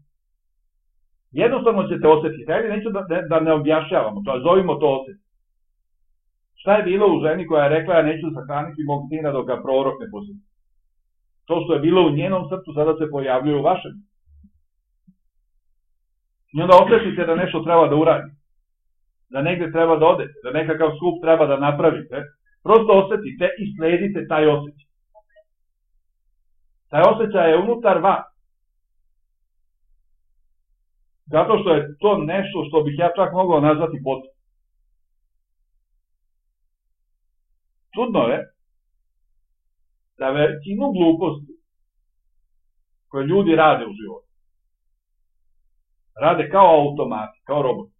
A: Jednostavno ćete osjetiti. Ajde, neću da, da ne objašnjavamo to, zovimo to osjećaj. Šta je bilo u ženi koja je rekla, ja neću sahraniti mog sina dok ga prorok ne posjeti? To što je bilo u njenom srcu sada se pojavljuje u vašem. I onda osjetite da nešto treba da uradite. Da negde treba da odete, da nekakav skup treba da napravite. Prosto osjetite i sledite taj osjećaj. Taj osjećaj je unutar vas. Zato što je to nešto što bih ja čak mogao nazvati potrebno. Čudno je da većinu gluposti koje ljudi rade u životu rade kao automati, kao roboti.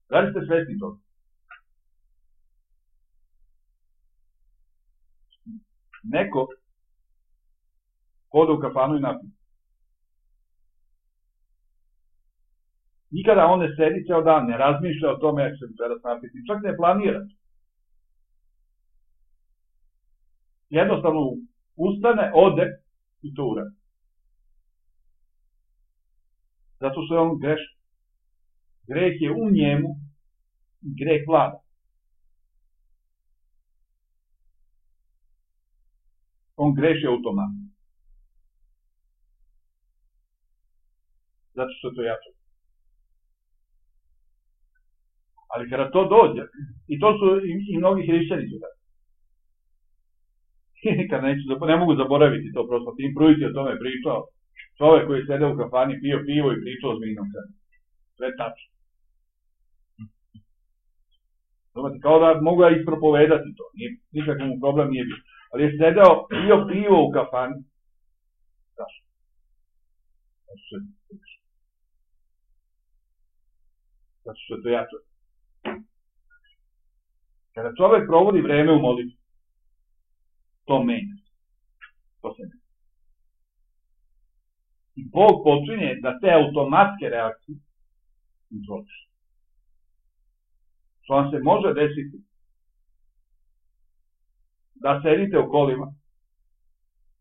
A: Da li ste svesni toga? neko ode u kafanu i napije. Nikada on ne sedi ceo dan, ne razmišlja o tome jak se večeras napiti, čak ne planira. Jednostavno ustane, ode i to uradi. Zato što je on grešan. Greh je u njemu i greh vlada. On greši automatno. Zato što je to jače. Ali kada to dođe, i to su i, i mnogi hrišćani su tako. Nikad neću, ne mogu zaboraviti to, prosto Tim Pruitt je o tome pričao. Čovek koji je sedeo u kafani, pio pivo i pričao o zmijnom krenu. Sve tačno. Znate, kao da mogu ja ispropovedati to, nikakav mu problem nije bio. Ali je sedeo, pio pivo u kafani. Zašto? Zato što je to jače. Zato što je to jače. Kada čovek provodi vreme u molitvi, to menja. To se menja. I Bog počinje da te automatske reakcije kontroliše. Što vam se može desiti da sedite u kolima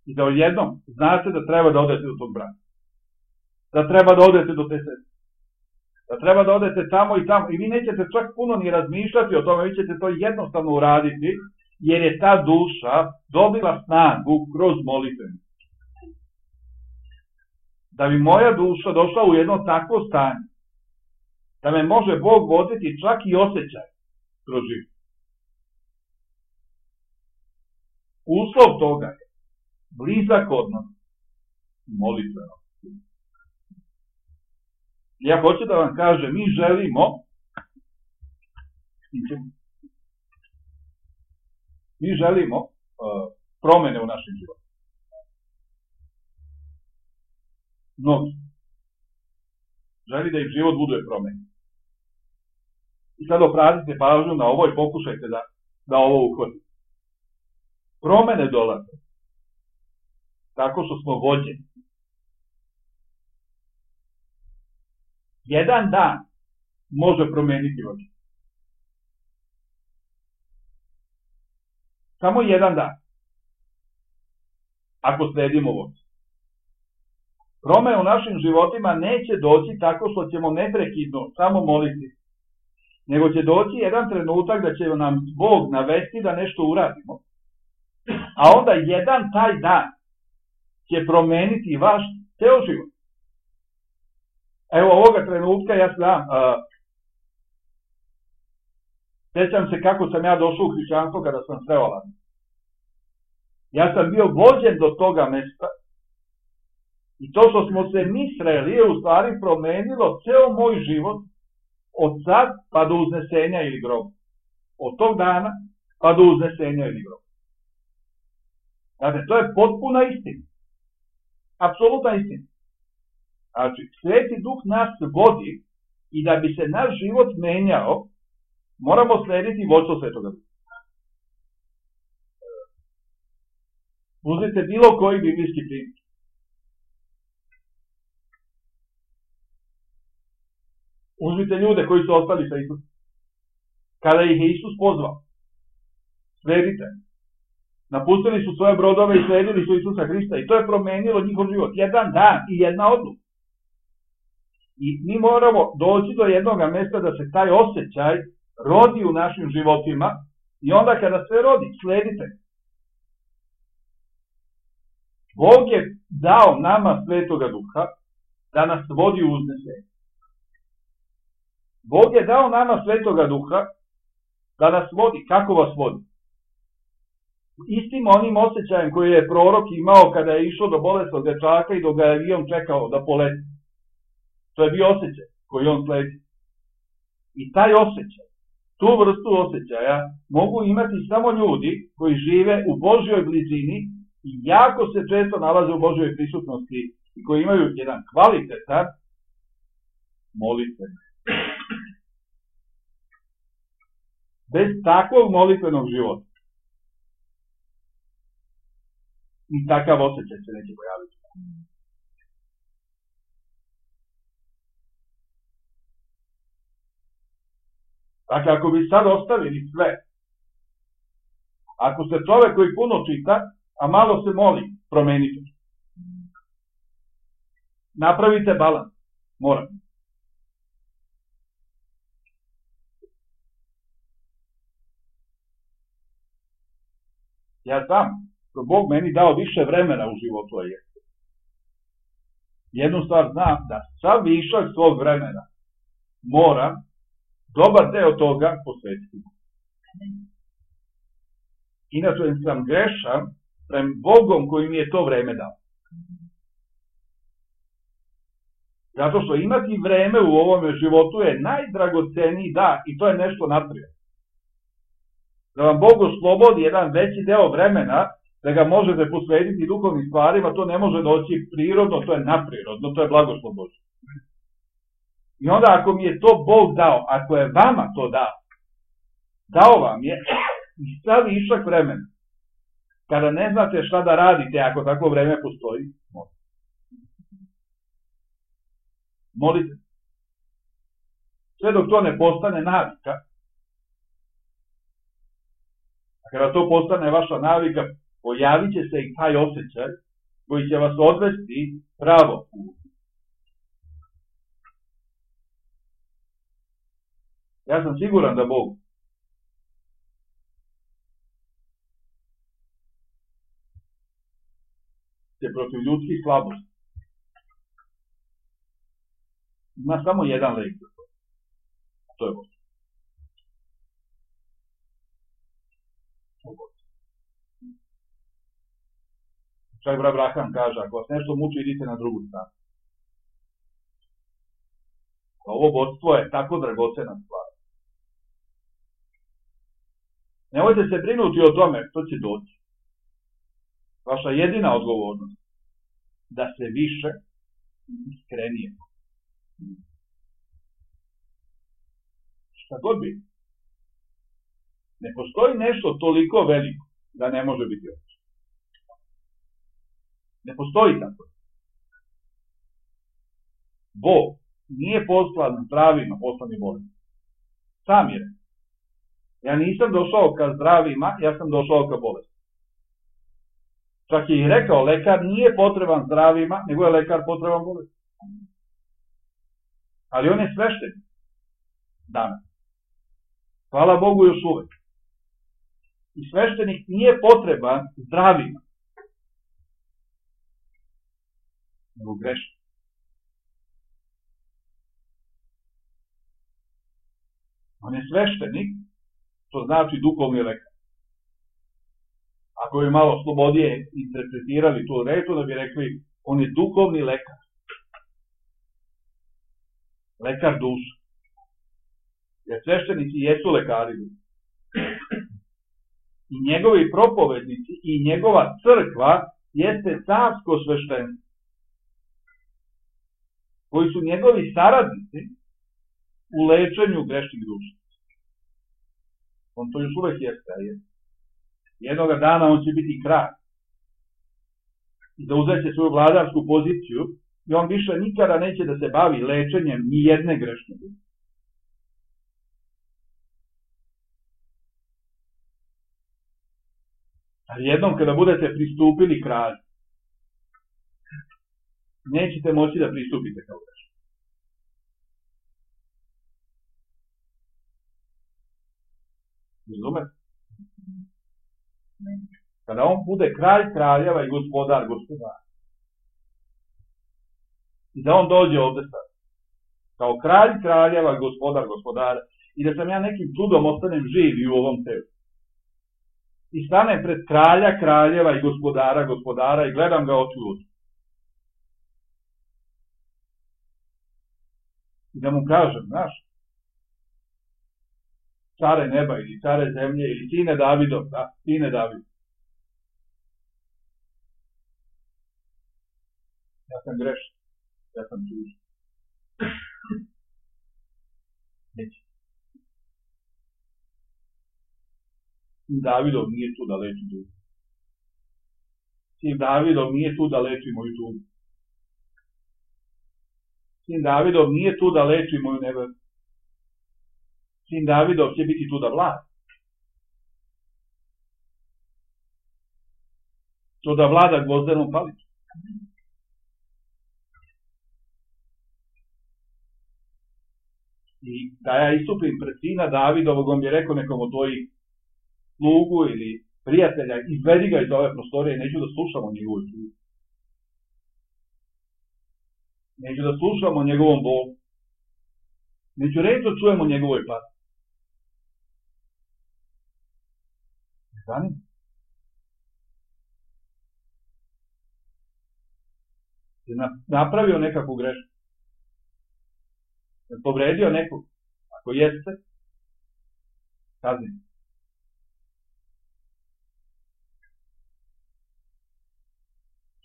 A: i da odjednom znate da treba da odete do tog brata. Da treba da odete do te sestre. Da treba da odete tamo i tamo. I vi nećete čak puno ni razmišljati o tome, vi ćete to jednostavno uraditi, jer je ta duša dobila snagu kroz molitvenu. Da bi moja duša došla u jedno takvo stanje, da me može Bog voditi čak i osjećaj kroz život. Uslov toga je blizak odnos molitveno. Ja hoću da vam kažem, mi želimo mi želimo uh, promene u našem životu. Mnogi želi da im život bude promenjen. I sad obratite pažnju na ovo i pokušajte da, da ovo uhvatite. Promene dolaze tako što smo vođeni. Jedan dan može promeniti vođenje. Samo jedan dan. Ako sledimo vođenje. Promene u našim životima neće doći tako što ćemo neprekidno samo moliti, nego će doći jedan trenutak da će nam Bog navesti da nešto uradimo, a onda jedan taj dan će promeniti vaš ceo život. Evo ovoga trenutka ja znam, uh, sjećam se kako sam ja došao u hrišćanstvo kada sam sreo Alan. Ja sam bio vođen do toga mesta i to što smo se mi sreli je u stvari promenilo ceo moj život od sad pa do uznesenja ili groba. Od tog dana pa do uznesenja ili groba. Znate, to je potpuna istina. Apsolutna istina. Znači, Sveti Duh nas vodi i da bi se naš život menjao, moramo slediti vodstvo Svetoga Duha. Uzmite bilo koji biblijski primjer. Uzmite ljude koji su ostali sa Isusom. Kada ih je Isus pozvao, sledite. Napustili su svoje brodove i sledili su Isusa Hrista i to je promenilo njihov život. Jedan dan i jedna odluka. I mi moramo doći do jednog mesta da se taj osjećaj rodi u našim životima i onda kada se rodi, sledite. Bog je dao nama Svetoga Duha da nas vodi u uznesenje. Bog je dao nama Svetoga Duha da nas vodi. Kako vas vodi? Istim onim osjećajem koji je prorok imao kada je išao do bolesnog dečaka i dok ga je avion čekao da poleti. To je bio osjećaj koji on sledi. I taj osjećaj, tu vrstu osjećaja mogu imati samo ljudi koji žive u Božjoj blizini i jako se često nalaze u Božjoj prisutnosti i koji imaju jedan kvalitetan molitven. Bez takvog molitvenog života ni takav osjećaj se neće pojaviti. Dakle, ako bi sad ostavili sve, ako ste čovek koji puno čita, a malo se moli, promenite. Napravite balans. Morate. Ja znam, Bog meni dao više vremena u životu, a jeste. Jednu stvar znam, da sav višak svog vremena moram dobar deo toga posvetiti. Inače sam grešan prema Bogom koji mi je to vreme dao. Zato što imati vreme u ovome životu je najdragoceniji dar i to je nešto nadprirodno. Da vam Bog oslobodi jedan veći deo vremena, da ga možete posvetiti duhovnim stvarima, to ne može doći prirodno, to je nadprirodno, to je blagoslov Božji. I onda ako mi je to Bog dao, ako je vama to dao, dao vam je i sad višak vremena. Kada ne znate šta da radite, ako takvo vreme postoji, molite. Molite. Sve dok to ne postane navika, a kada to postane vaša navika, pojavit će se i taj osjećaj koji će vas odvesti pravo put. Ja sam siguran da Bog će protiv ljudskih slabosti ima samo jedan lek za to. To je Bog. Čak brat Abraham kaže, ako vas nešto muči, idite na drugu stranu. Ovo vodstvo je tako dragocena stvar. Nemojte se brinuti o tome što će doći. Vaša jedina odgovornost da se više iskrenije. Šta god bi. Ne postoji nešto toliko veliko da ne može biti obično. Ne postoji tako. Bog nije poslan zdravima, poslan je bolestima. Sam je. Ja nisam došao ka zdravima, ja sam došao ka bolestima. Čak je i rekao, lekar nije potreban zdravima, nego je lekar potreban bolestima. Ali on je sveštenik. Danas. Hvala Bogu još uvek. I sveštenik nije potreban zdravima. Nego grešno. On je sveštenik, to znači duhovni lekar. Ako bi malo slobodije interpretirali tu reč, da bi rekli, on je duhovni lekar. Lekar duša. Jer sveštenici jesu lekari. I njegovi propovednici i njegova crkva jeste carsko sveštenstvo. Koji su njegovi saradnici u lečenju grešnih duša. On to još uvek jeste, a jeste. Jednoga dana on će biti kralj. I da uzeće svoju vladarsku poziciju i on više nikada neće da se bavi lečenjem ni jedne grešne duše. Ali jednom kada budete pristupili kralju, nećete moći da pristupite kao grešni. Razumete? Kada on bude kralj kraljeva i gospodar gospodara. I da on dođe ovde sad. Kao kralj kraljeva i gospodar gospodara. I da sam ja nekim čudom ostanem živ i u ovom telu. I stanem pred kralja kraljeva i gospodara gospodara i gledam ga oči u oči. I da mu kažem, znaš, care neba ili care zemlje ili sine Davidov, da, sine Davidov. Ja sam grešan, ja sam tužan. Neće. Davidov nije tu da leči dušu. Sin Davidov nije tu da leči moju tugu. Sin Davidov nije tu da leči moju nevolju. Sin Davidov će biti tu da vlada. To da vlada gvozdenom palicom. I da ja istupim pred sina Davidovog, on bi rekao nekom od tvojih slugu ili prijatelja, izvedi ga iz ove prostorije, neću da slušamo njegovu tugu. Neću da slušamo njegovom bolu. Neću reći da čujemo njegovoj pati. Ne zanima. Je napravio nekakvu grešku. Je povredio nekog. Ako jeste, kaznite.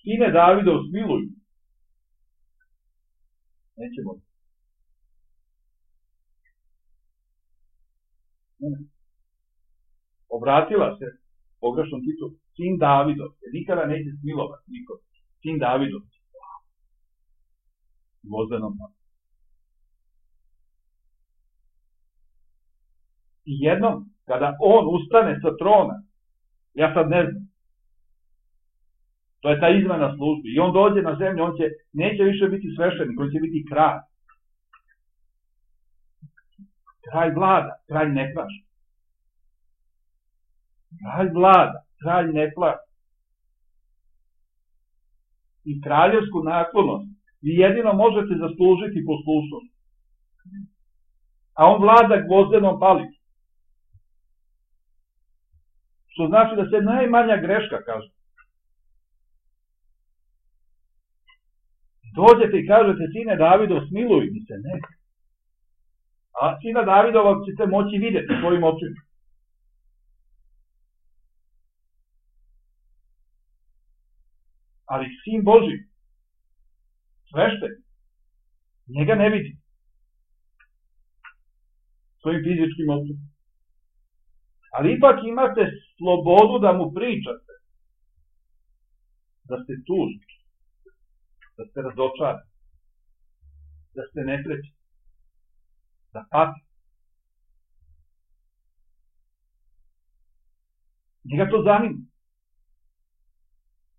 A: Sine Davidov, smiluj. Neće moći. Obratila se pogrešnom titulu. Sin Davidov. Jer nikada neće smilovati nikom. Sin Davidov. Gvozdenom palicom. I jednom, kada on ustane sa trona, ja sad ne znam, to je ta izmena službi, i on dođe na zemlju, on će, neće više biti sveštenik, on će biti kralj. Kralj vlada, kralj ne plaša. Kralj vlada, kralj ne plaša. I kraljevsku naklonost vi jedino možete zaslužiti poslušnost. A on vlada gvozdenom palicom. Što znači da se najmanja greška kaže. Dođete i kažete, sine Davidov, smiluj mi se, ne. A sina Davidova ćete moći vidjeti svojim očima. Ali sin Boži, sveštenik, njega ne vidi. Svojim fizičkim očima. Ali ipak imate slobodu da mu pričate. Da ste tužni. Da ste razočarani. Da ste nesrećni. Da patite. Njega to zanima.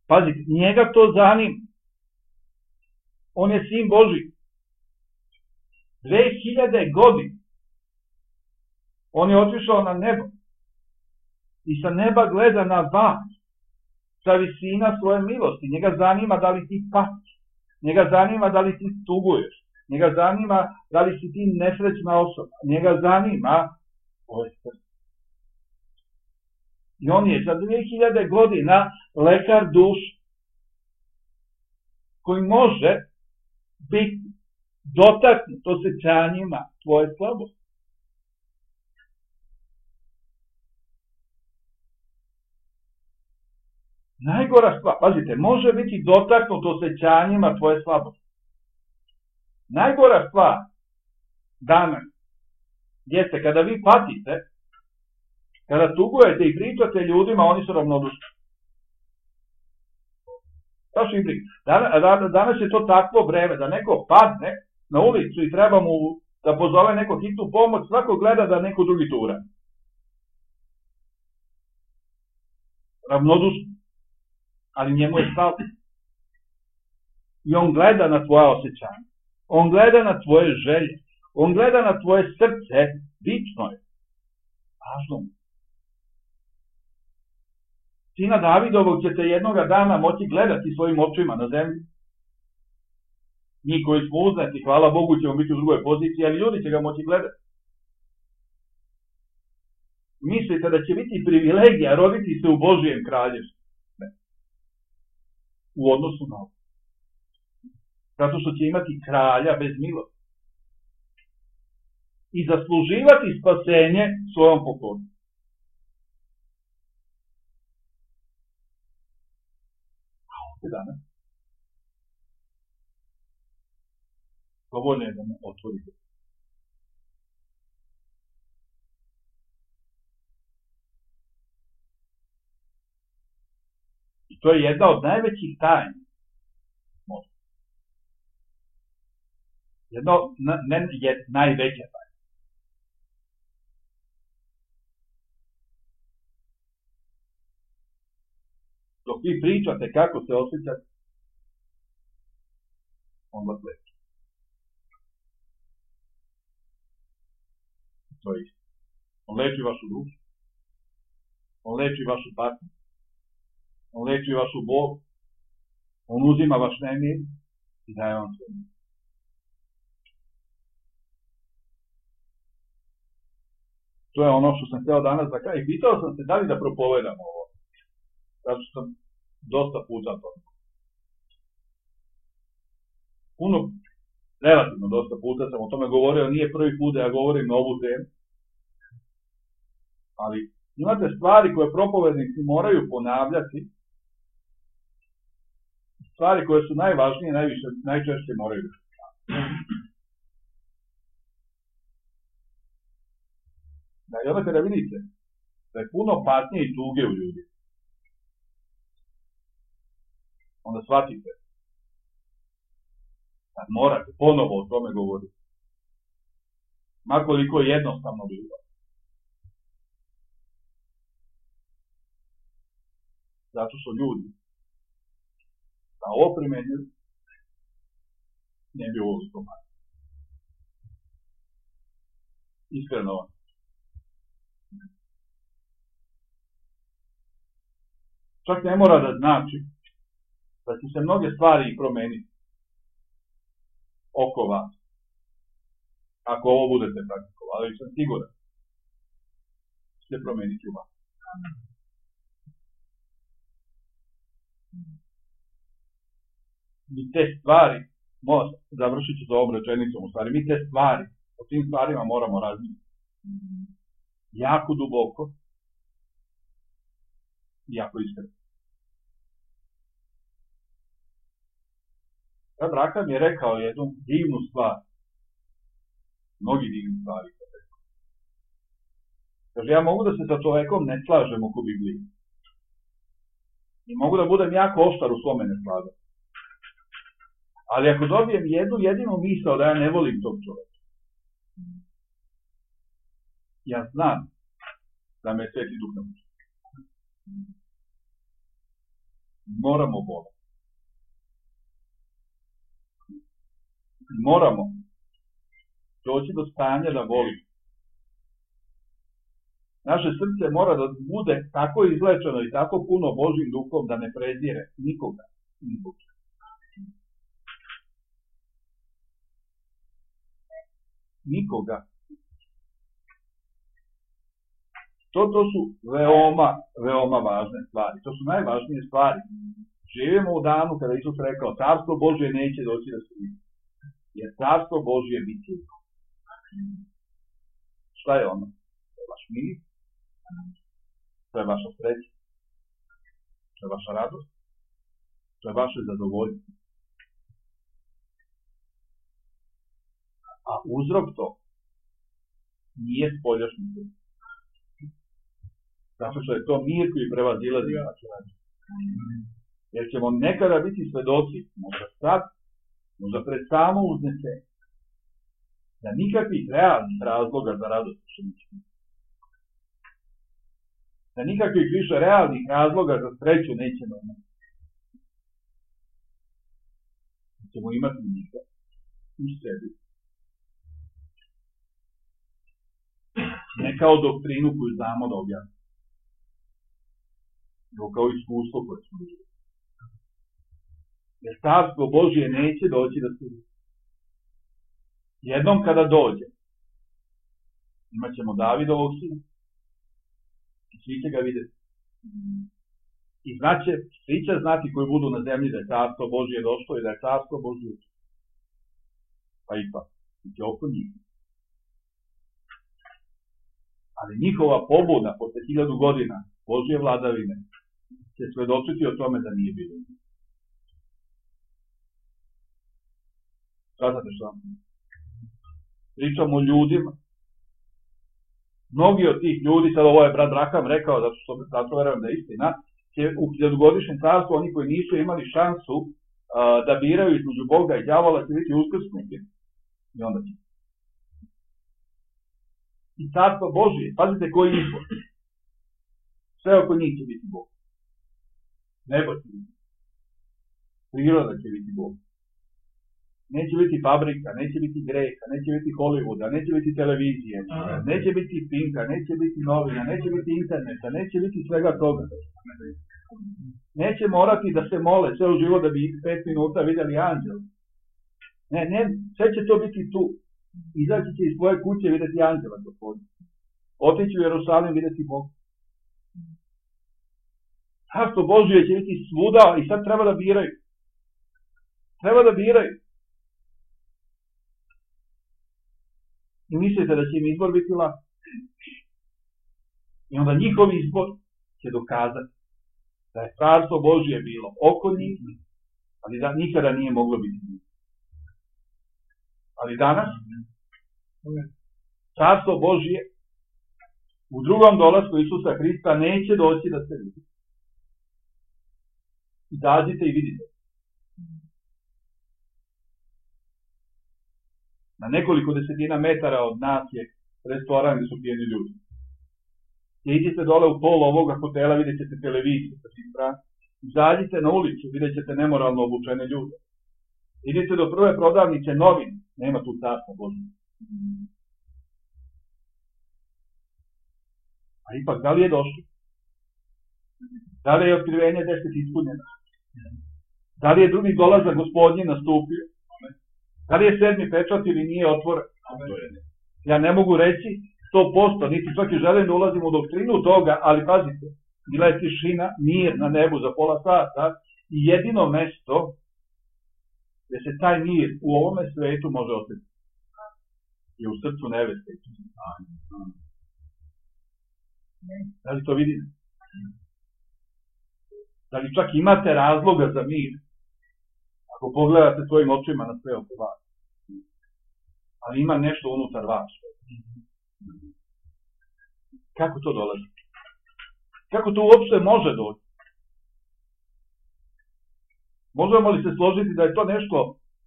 A: Pazite, njega to zanima. On je sin Boži. Dve hiljade godina. On je otišao na nebo. I sa neba gleda na vas. Sa visina svoje milosti. Njega zanima da li ti patiš. Njega zanima da li ti tuguješ. Njega zanima da li si ti nesrećna osoba. Njega zanima ovaj srce. I on je za dve hiljade godina lekar duše. Koji može biti dotaknut osjećanjima tvoje slabosti. Najgora stvar, pazite, može biti dotaknut osjećanjima tvoje slabosti. Najgora stvar danas jeste kada vi patite, kada tugujete i pričate ljudima, oni su ravnodušni. Baš im priča. Danas, danas je to takvo vreme da neko padne na ulicu i treba mu da pozove neko hitnu pomoć, svako gleda da neko drugi to uradi. Ravnodušni. Ali njemu je stalo. I on gleda na tvoja osjećanja. On gleda na tvoje želje. On gleda na tvoje srce. Bitno je. Važno mu. Sina Davidovog ćete jednoga dana moći gledati svojim očima na zemlji. Mi koji smo uznati, hvala Bogu, ćemo biti u drugoj poziciji, ali ljudi će ga moći gledati. Mislite da će biti privilegija roditi se u Božijem kraljevstvu? U odnosu na ovo. Zato što će imati kralja bez milosti. I zasluživati spasenje svojom pokornom. A ovdje danas dovoljno je da me otvorite. I to je jedna od najvećih tajni. Jedno, ne je najveća tajna. Dok vi pričate kako se osjećate, on vas leči. To je isto. On leči vašu dušu. On leči vašu patnju. On leči vašu bol. On uzima vaš nemir i daje vam sve. To je ono što sam htio danas da kažem. I pitao sam se da li da propovedam ovo. Zato što sam dosta puta to. Puno, relativno dosta puta sam o tome govorio. Nije prvi put da ja govorim na ovu temu. Ali imate stvari koje propovednici moraju ponavljati. Stvari koje su najvažnije, najviše, najčešće moraju da se ponavljati. Da, i onda kada vidite da je puno patnje i tuge u ljudi, onda shvatite da morate ponovo o tome govoriti. Makoliko je jednostavno bilo. Zato što ljudi da ovo primenjuju ne bi ovo to manje. Iskreno vam. Čak ne mora da znači da će se mnoge stvari promeniti oko vas. Ako ovo budete praktikovali, ali sam siguran da će se promeniti u vas. Mi te stvari, završit ću to ovom rečenicom, u stvari, mi te stvari, o tim stvarima moramo razmišljati. Jako duboko i jako iskreno. Brat Rakam je rekao jednu divnu stvar, mnogi divni stvari. Kaže, ja mogu da se sa čovekom ne slažem oko Biblije. I mogu da budem jako oštar u svome neslaganju. Ali ako dobijem jednu jedinu misao da ja ne volim tog čoveka, ja znam da me Sveti Duh ne može. Moramo voliti. Moramo doći do stanja da volimo. Naše srce mora da bude tako izlečeno i tako puno Božjim duhom da ne prezire nikoga. Nikoga. Nikoga. To, to su veoma, veoma važne stvari. To su najvažnije stvari. Živimo u danu kada Isus rekao, Carstvo Božje neće doći da se vidi. Jer Carstvo Božje bit će. Šta je ono? To je vaš mir, to je vaša sreća, to je vaša radost, to je vaše zadovoljstvo. A uzrok to nije spoljašnji mir. Zato što je to mir koji prevazilazi naše radost. Jer ćemo nekada biti svedoci, možda sad, možda pred samo uznesenje, da nikakvih realnih razloga za radost više neće biti. Da nikakvih više realnih razloga za sreću nećemo imati. Da ćemo imati njega u sebi. Ne kao doktrinu koju znamo da objasnimo, nego kao iskustvo koje smo vidjeli. Jer Carstvo Božje neće doći da se vidi. Jednom kada dođe, imat ćemo Davidovog sina i svi će ga vidjeti. I znaće, svi će znati koji budu na zemlji da je Carstvo Božje došlo i da je Carstvo Božje došlo. Pa ipak, i će oko njih. Ali njihova pobuda posle hiljadu godina Božje vladavine će svedočiti o tome da nije bilo. Shvatate što vam? Pričamo o ljudima. Mnogi od tih ljudi, sad ovo je brat Rakam rekao, zato što zato verujem da je istina, će u hiljadugodišnjem carstvu oni koji nisu imali šansu uh, da biraju između Boga i đavola će biti uskrsnuti. I onda će. I carstvo Božije, pazite koji izbor. Sve oko njih će biti Bog. Nebo će biti. Priroda će biti Bog. Neće biti fabrika, neće biti greha, neće biti Hollywooda, neće biti televizije, neće biti Pinka, neće biti novina, neće biti interneta, neće biti svega toga. Neće morati da se mole ceo život da bi pet minuta vidjeli anđel. Ne, ne, sve će to biti tu. Izaći će iz svoje kuće vidjeti anđela, gospodin. Otići u Jerusalim vidjeti Boga. Carstvo Božije će biti svuda i sad treba da biraju. Treba da biraju. I mislite da će im izbor biti lak. I onda njihov izbor će dokazati da je carstvo Božije bilo oko njih, ali da nikada nije moglo biti njih. Ali danas carstvo Božije u drugom dolasku Isusa Hrista neće doći da se vidi. Izađite i vidite. Na nekoliko desetina metara od nas je restoran gdje su pijeni ljudi. Idite dole u pol ovoga hotela, vidjet ćete televiziju sa svim strana. Izađite na ulicu, vidjet ćete nemoralno obučene ljude. Idite do prve prodavnice novin, nema tu carstva Božje. A ipak, da li je došlo? Da li je otkrivenje deset ispunjeno? Da li je drugi dolazak Gospodnji nastupio? Da li je sedmi pečat ili nije otvoren? Ja ne mogu reći sto posto, niti čak i želim da ulazim u doktrinu toga, ali pazite, bila je tišina, mir na nebu za pola sata i jedino mesto gdje se taj mir u ovome svetu može osjetiti je u srcu neveste. Da li to vidite? Da li čak imate razloga za mir? Ako pogledate svojim očima na sve oko vas. Ali ima nešto unutar vas. Kako to dolazi? Kako to uopšte može doći? Možemo li se složiti da je to nešto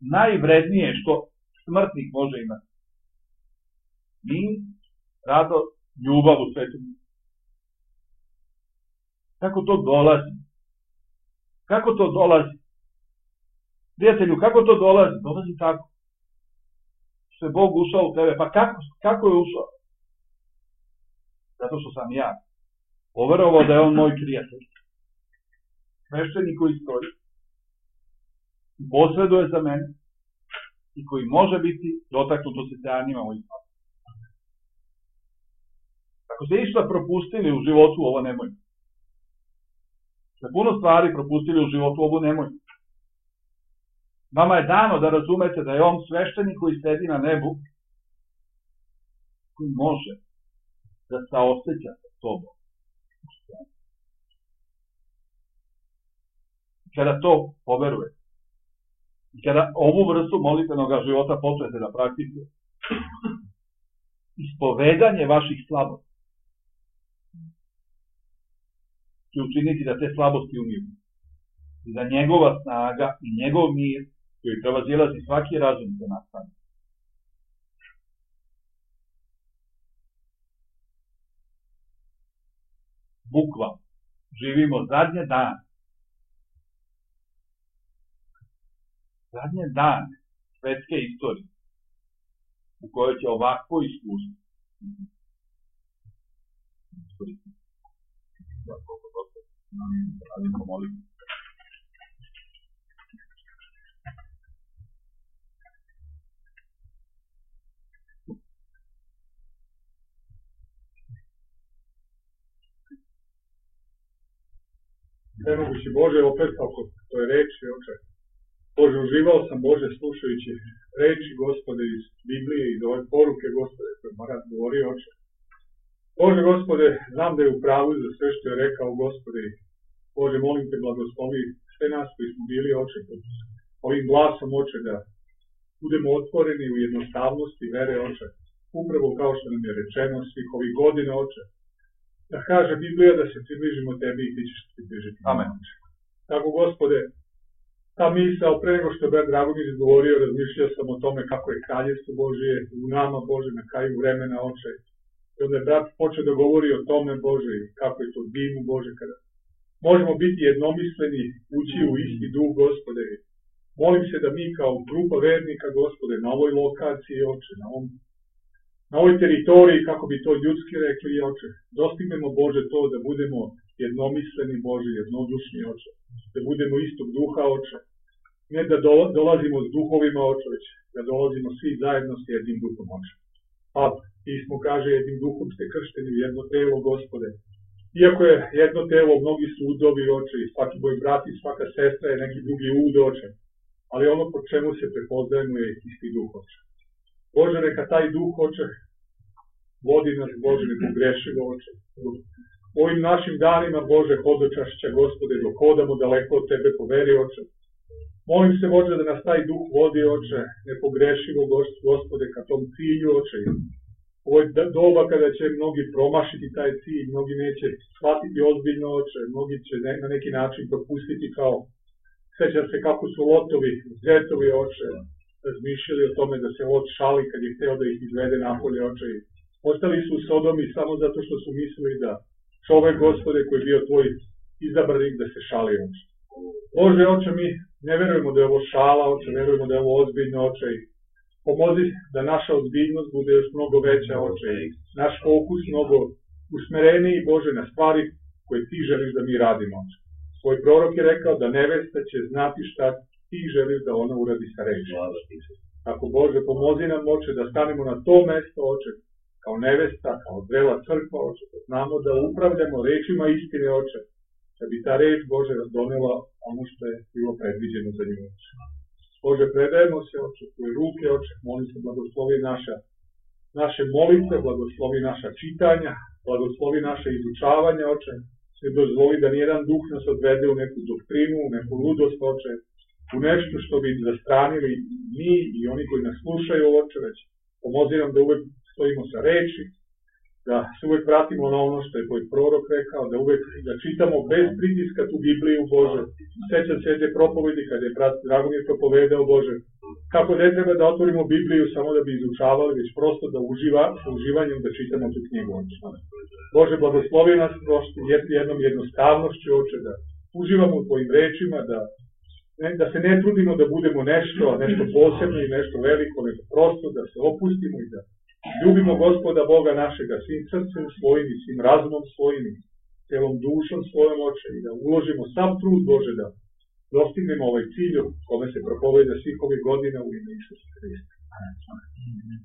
A: najvrednije što smrtnik može imati? Mir, radost, ljubav u svetu. Kako to dolazi? Kako to dolazi? Prijatelju, kako to dolazi? Dolazi tako. Što je Bog ušao u tebe. Pa kako, kako je ušao? Zato što sam ja poverovao da je on moj prijatelj. Sveštenik koji stoji. I posreduje za mene. I koji može biti dotaknut osećanjima mojih stvari. Ako ste išta propustili u životu, ovo nemojte. Ste puno stvari propustili u životu, ovo nemojte. Vama je dano da razumete da je on sveštenik koji sedi na nebu, koji može da saoseća sa sobom. Kada to poverujete, i kada ovu vrstu molitvenog života počnete da praktikujete, ispovedanje vaših slabosti će učiniti da te slabosti umiru. I da njegova snaga i njegov mir koji prevazilazi svaki razum se nastane. Bukvalno živimo zadnje dane. Zadnje dane svetske istorije u kojoj će ovako iskustvo. Radimo molitvu.
B: Nemogući Bože, opet kako to je reči, oče. Bože, uživao sam, Bože, slušajući reči, Gospode, iz Biblije, iz ove poruke, Gospode, koje Marat govori, oče. Bože, Gospode, znam da je u pravu za sve što je rekao, Gospode. Bože, molim te, blagoslovi sve nas koji smo bili, oče, ovim glasom, oče, da budemo otvoreni u jednostavnosti vere, oče. Upravo kao što nam je rečeno svih ovih godina, oče. da kaže Biblija da se približimo tebi i ti ćeš se približiti.
A: Amen.
B: Tako, Gospode, ta misao, pre nego što je brat Dragomir izgovorio, razmišljao sam o tome kako je kraljevstvo Božije u nama, Bože, na kraju vremena, Oče. I onda je brat počeo da govori o tome, Bože, kako je to divno, Bože, kada možemo biti jednomisleni, ući u isti duh, Gospode. Molim se da mi kao grupa vernika, Gospode, na ovoj lokaciji, Oče, na, ovom, na ovoj teritoriji, kako bi to ljudski rekli, Oče, dostignemo, Bože, to da budemo jednomisleni, Bože, jednodušni, Oče, da budemo istog duha, Oče, ne da dolazimo s duhovima, Oče, već da dolazimo svi zajedno s jednim duhom, Oče. Pa, pismo kaže, jednim duhom ste kršteni u jedno telo, Gospode. Iako je jedno telo, mnogi su udovi, Oče, i svaki moj brat i svaka sestra je neki drugi ud, Oče, ali ono po čemu se prepoznajemo je isti duh, Oče. Bože, neka taj duh, Oče, vodi nas, Bože, ne pogrešimo, Oče. U ovim našim danima, Bože, hodočašća, Gospode, dok hodamo daleko od Tebe po veri, Oče. Molim se, Bože, da nas taj duh vodi, Oče, ne pogrešimo, Gospode, ka tom cilju, Oče. Ovo je doba kada će mnogi promašiti taj cilj, mnogi neće shvatiti ozbiljno, Oče, mnogi će ne, na neki način propustiti kao, sećam se kako su Lotovi, zetovi, Oče, razmišljali o tome da se Lot šali kad je hteo da ih izvede napolje, Oče. Ostali su u Sodomi samo zato što su mislili da čovek, Gospode, koji je bio tvoj izabranik, da se šali, Oče. Bože, Oče, mi ne verujemo da je ovo šala, Oče, verujemo da je ovo ozbiljno, Oče. Pomozi da naša ozbiljnost bude još mnogo veća, Oče, i naš fokus mnogo usmereniji, Bože, na stvari koje ti želiš da mi radimo, Oče. Tvoj prorok je rekao da nevesta će znati šta ti želiš da ona uradi sa reči. Tako, Bože, pomozi nam, Oče, da stanemo na to mesto, Oče, kao nevesta, kao zrela crkva, Oče, da znamo da upravljamo rečima istine, Oče, da bi ta reč, Bože, donela ono što je bilo predviđeno za nju, Oče. Bože, predajemo se, Oče, tvoje ruke, Oče, molim se, blagoslovi naša, naše molitve, blagoslovi naša čitanja, blagoslovi naše izučavanja, Oče, ne dozvoli da nijedan duh nas odvede u neku doktrinu, u neku ludost, Oče, u nešto što bi zastranili mi i oni koji nas slušaju, Oče, već pomozi nam da uvek stojimo sa reči, da se uvek vratimo na ono što je tvoj prorok rekao, da uvek da čitamo bez pritiska tu Bibliju, Bože. Sećam se jedne propovedi kada je brat Dragomir propovedao, Bože, kako ne treba da otvorimo Bibliju samo da bi izučavali, već prosto da uživa, sa uživanjem da čitamo tu knjigu, Oče. Bože, blagoslovi nas prosto jednom jednostavnošću, Oče, da uživamo u tvojim rečima, da, ne, da se ne trudimo da budemo nešto, nešto posebno i nešto veliko, nego prosto da se opustimo i da ljubimo Gospoda Boga našega svim srcem svojim i svim razumom svojim i celom dušom svojom, Oče, i da uložimo sam trud, Bože, da dostignemo ovaj cilj kome se propoveda svih ovih godina u ime Isusa Hrista. Amen.